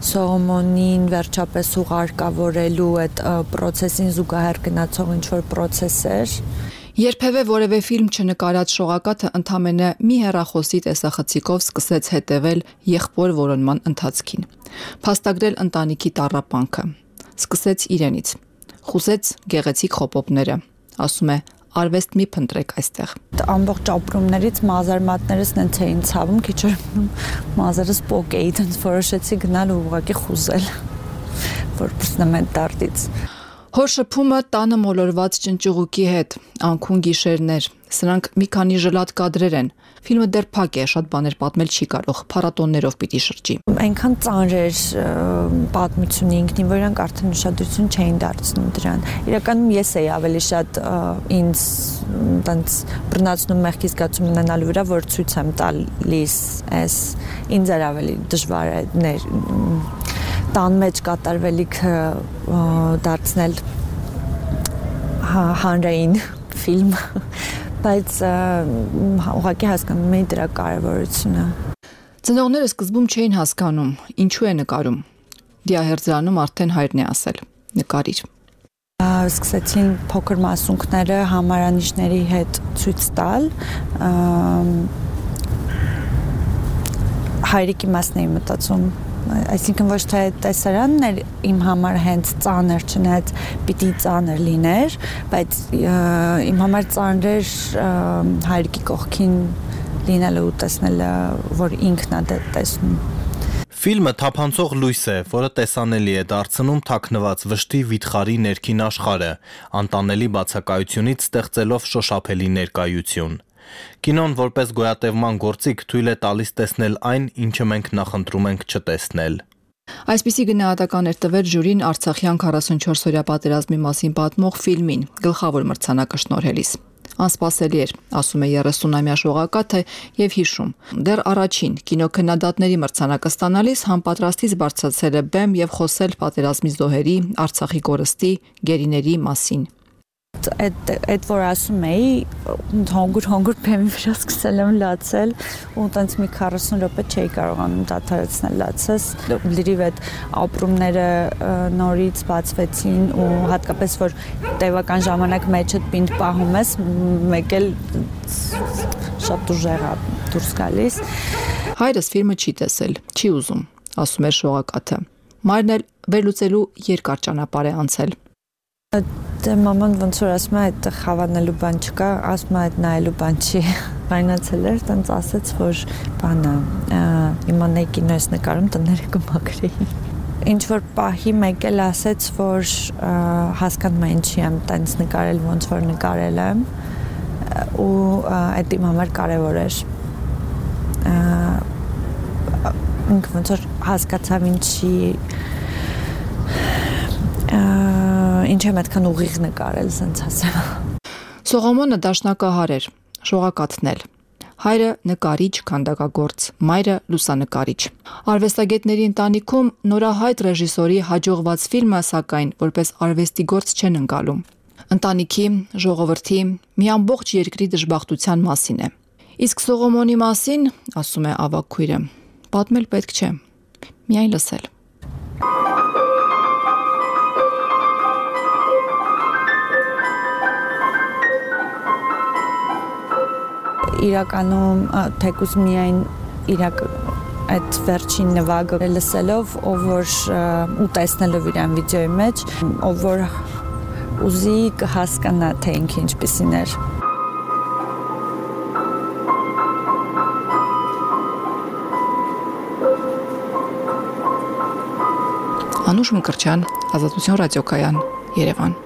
Սողոմոնին վերջապես ուղարկավորելու այդ պրոցեսին զուգահեռ գնացող ինչ-որ պրոցես էր։ Երբևէ որևէ ֆիլմ չնկարած Շողակաթը ընդամենը մի հեռախոսի տեսախցիկով սկսեց հետևել եղբոր որոնման ընթացքին, փաստագրել ընտանիքի տառապանքը, սկսեց իրենից, խուզեց գեղեցիկ խոպոպները, ասում է արվեստ մի փնտրեք այստեղ։ Ամբողջ ապրումներից մազարմատներս նենց էին ցավում, քիչ որ մազերս պոկ էի, տենց որոշեցի գնալ ու ուղղակի խուզել, որ բռնեմ այդ դարտից։ Հոր շփումը տանը մոլորված ճնճուղուկի հետ, անքուն գիշերներ, սրանք մի քանի ժլատ կադրեր են, ֆիլմը դեռ փակ է, շատ բաներ պատմել չի կարող, փառատոններով պիտի շրջի։ Այնքան ծանր էր պատմությունը ինքնին, որ իրանք արդեն ուշադրություն չէին դարձնում դրան։ Իրականում ես էի ավելի շատ ինձ տենց բռնացնում մեղքի զգացում ունենալու վրա, որ ցույց եմ տալիս, այս ինձ էր ավելի դժվար է տան մեջ կատարվելիքը դարձնել հանրային ֆիլմ, բայց ուղղակի հասկանում էի դրա կարևորությունը։ Ծնողները սկզբում չէին հասկանում, ինչու է նկարում։ Դիահերձանում արդեն հայրն է ասել. նկարիր։ Սկսեցին փոքր մասունքները համարանիշների հետ ցույց տալ, հայրիկի մասն էի մտածում, այսինքն ոչ թե տեսարանն էր իմ համար հենց ծանր, չնայած պիտի ծանր լիներ, բայց իմ համար ծանր էր հայրիկի կողքին լինելը ու տեսնելը, որ ինքն է տեսնում։ Ֆիլմը թափանցող լույս է, որը տեսանելի է դարձնում թաքնված վշտի վիթխարի ներքին աշխարհը, անտանելի բացակայությունից ստեղծելով շոշափելի ներկայություն։ Կինոն որպես գոյատևման գործիք թույլ է տալիս տեսնել այն, ինչը մենք նախընտրում ենք չտեսնել։ Այսպիսի գնահատական էր տվել ժյուրին Արցախյան քառասունչորս-օրյա պատերազմի մասին պատմող ֆիլմին գլխավոր մրցանակը շնորհելիս։ Անսպասելի էր, ասում է երեսունամյա Շողակաթը եւ հիշում. դեռ առաջին կինոքննադատների մրցանակը ստանալիս համապատրաստից բարձրացել է բեմ եւ խոսել պատերազմի զոհերի, Արցախի կորստի, գերիների մասին։ Այդ այդ որ ասում էի, հանգուր հանգուր բեմի վրա սկսել եմ լացել ու տենց մի քառասուն րոպե չէի կարողանում դադարեցնել լացես։ Լրիվ այդ ապրումները նորից բացվեցին ու հատկապես որ տևական ժամանակ մեջդ պինդ պահում ես, մեկ էլ շատ ուժեղ է դուրս գալիս։ Հայրս ֆիլմը չի տեսել, չի ուզում, ասում է Շողակաթը։ Մայրն էլ վերլուծելու երկար ճանապարհ է անցել։ Դե մաման ոնց որ ասում է այդ խավանելու բան չկա, ասում է այդ նայելու բան չի։ Վայնացել էր, տենց ասեց, որ բանը, իմանայի կինոյս նկարում տները կմաքրեի։ Ինչ որ պահի մեկ էլ ասեց, որ հասկանում է ինչի եմ տենց նկարել, ոնց որ նկարել եմ, ու այդ իմ համար կարևոր էր։ Ինքը ոնց որ հասկացավ ինչի ինչ եմ այդքան ուղիղ նկարել, սենց ասեմ։ Սողոմոնը դաշնակահար էր, Շողակաթն էլ։ Հայրը նկարիչ, քանդակագործ, մայրը լուսանկարիչ։ Արվեստագետների ընտանիքում նորահայտ ռեժիսորի հաջողված ֆիլմը, սակայն, որպես արվեստի գործ չեն ընկալում։ Ընտանիքի, ժողովրդի, մի ամբողջ երկրի դժբախտության մասին է։ Իսկ Սողոմոնի մասին, ասում է ավագ քույրը, պատմել պետք չէ, միայն լսել։ Իրականում թեկուզ միայն իրակ այդ վերջին նվագը լսելով, ով որ ու տեսնելով իրան վիդեոյի մեջ, ով որ ուզի կհասկանա թե ինքը ինչպիսին էր։ Անուշ Մկրտչյան, Ազատություն ռադիոկայան, Երևան։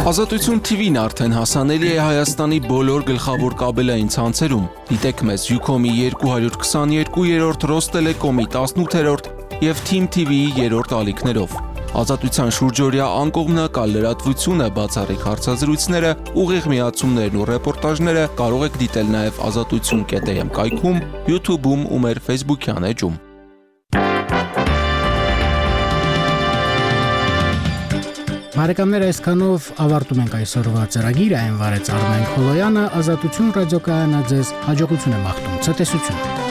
Ազատություն T V-ն արդեն հասանելի է Հայաստանի բոլոր գլխավոր կաբելային ցանցերում։ Դիտեք մեզ Ucom-ի երկու քսաներկու, Ռոստելեկոմի տասնութերորդ եւ Team T V-ի երրորդ ալիքներով։ Ազատության շուրջօրյա անկողմնակալ լրատվությունը, բացառիկ հարցազրույցները, ուղիղ միացումներն ու ռեպորտաժները կարող եք դիտել նաեւ ազատություն կետ am կայքում, YouTube-ում ու մեր Facebook-յան էջում։ Բարեկամներ, այսքանով ավարտում ենք այսօրվա ծրագիրը, այն վարեց Արմեն Խոլոյանը, Ազատություն ռադիոկայանը ձեզ հաջողություն է մաղթում, ցտեսություն։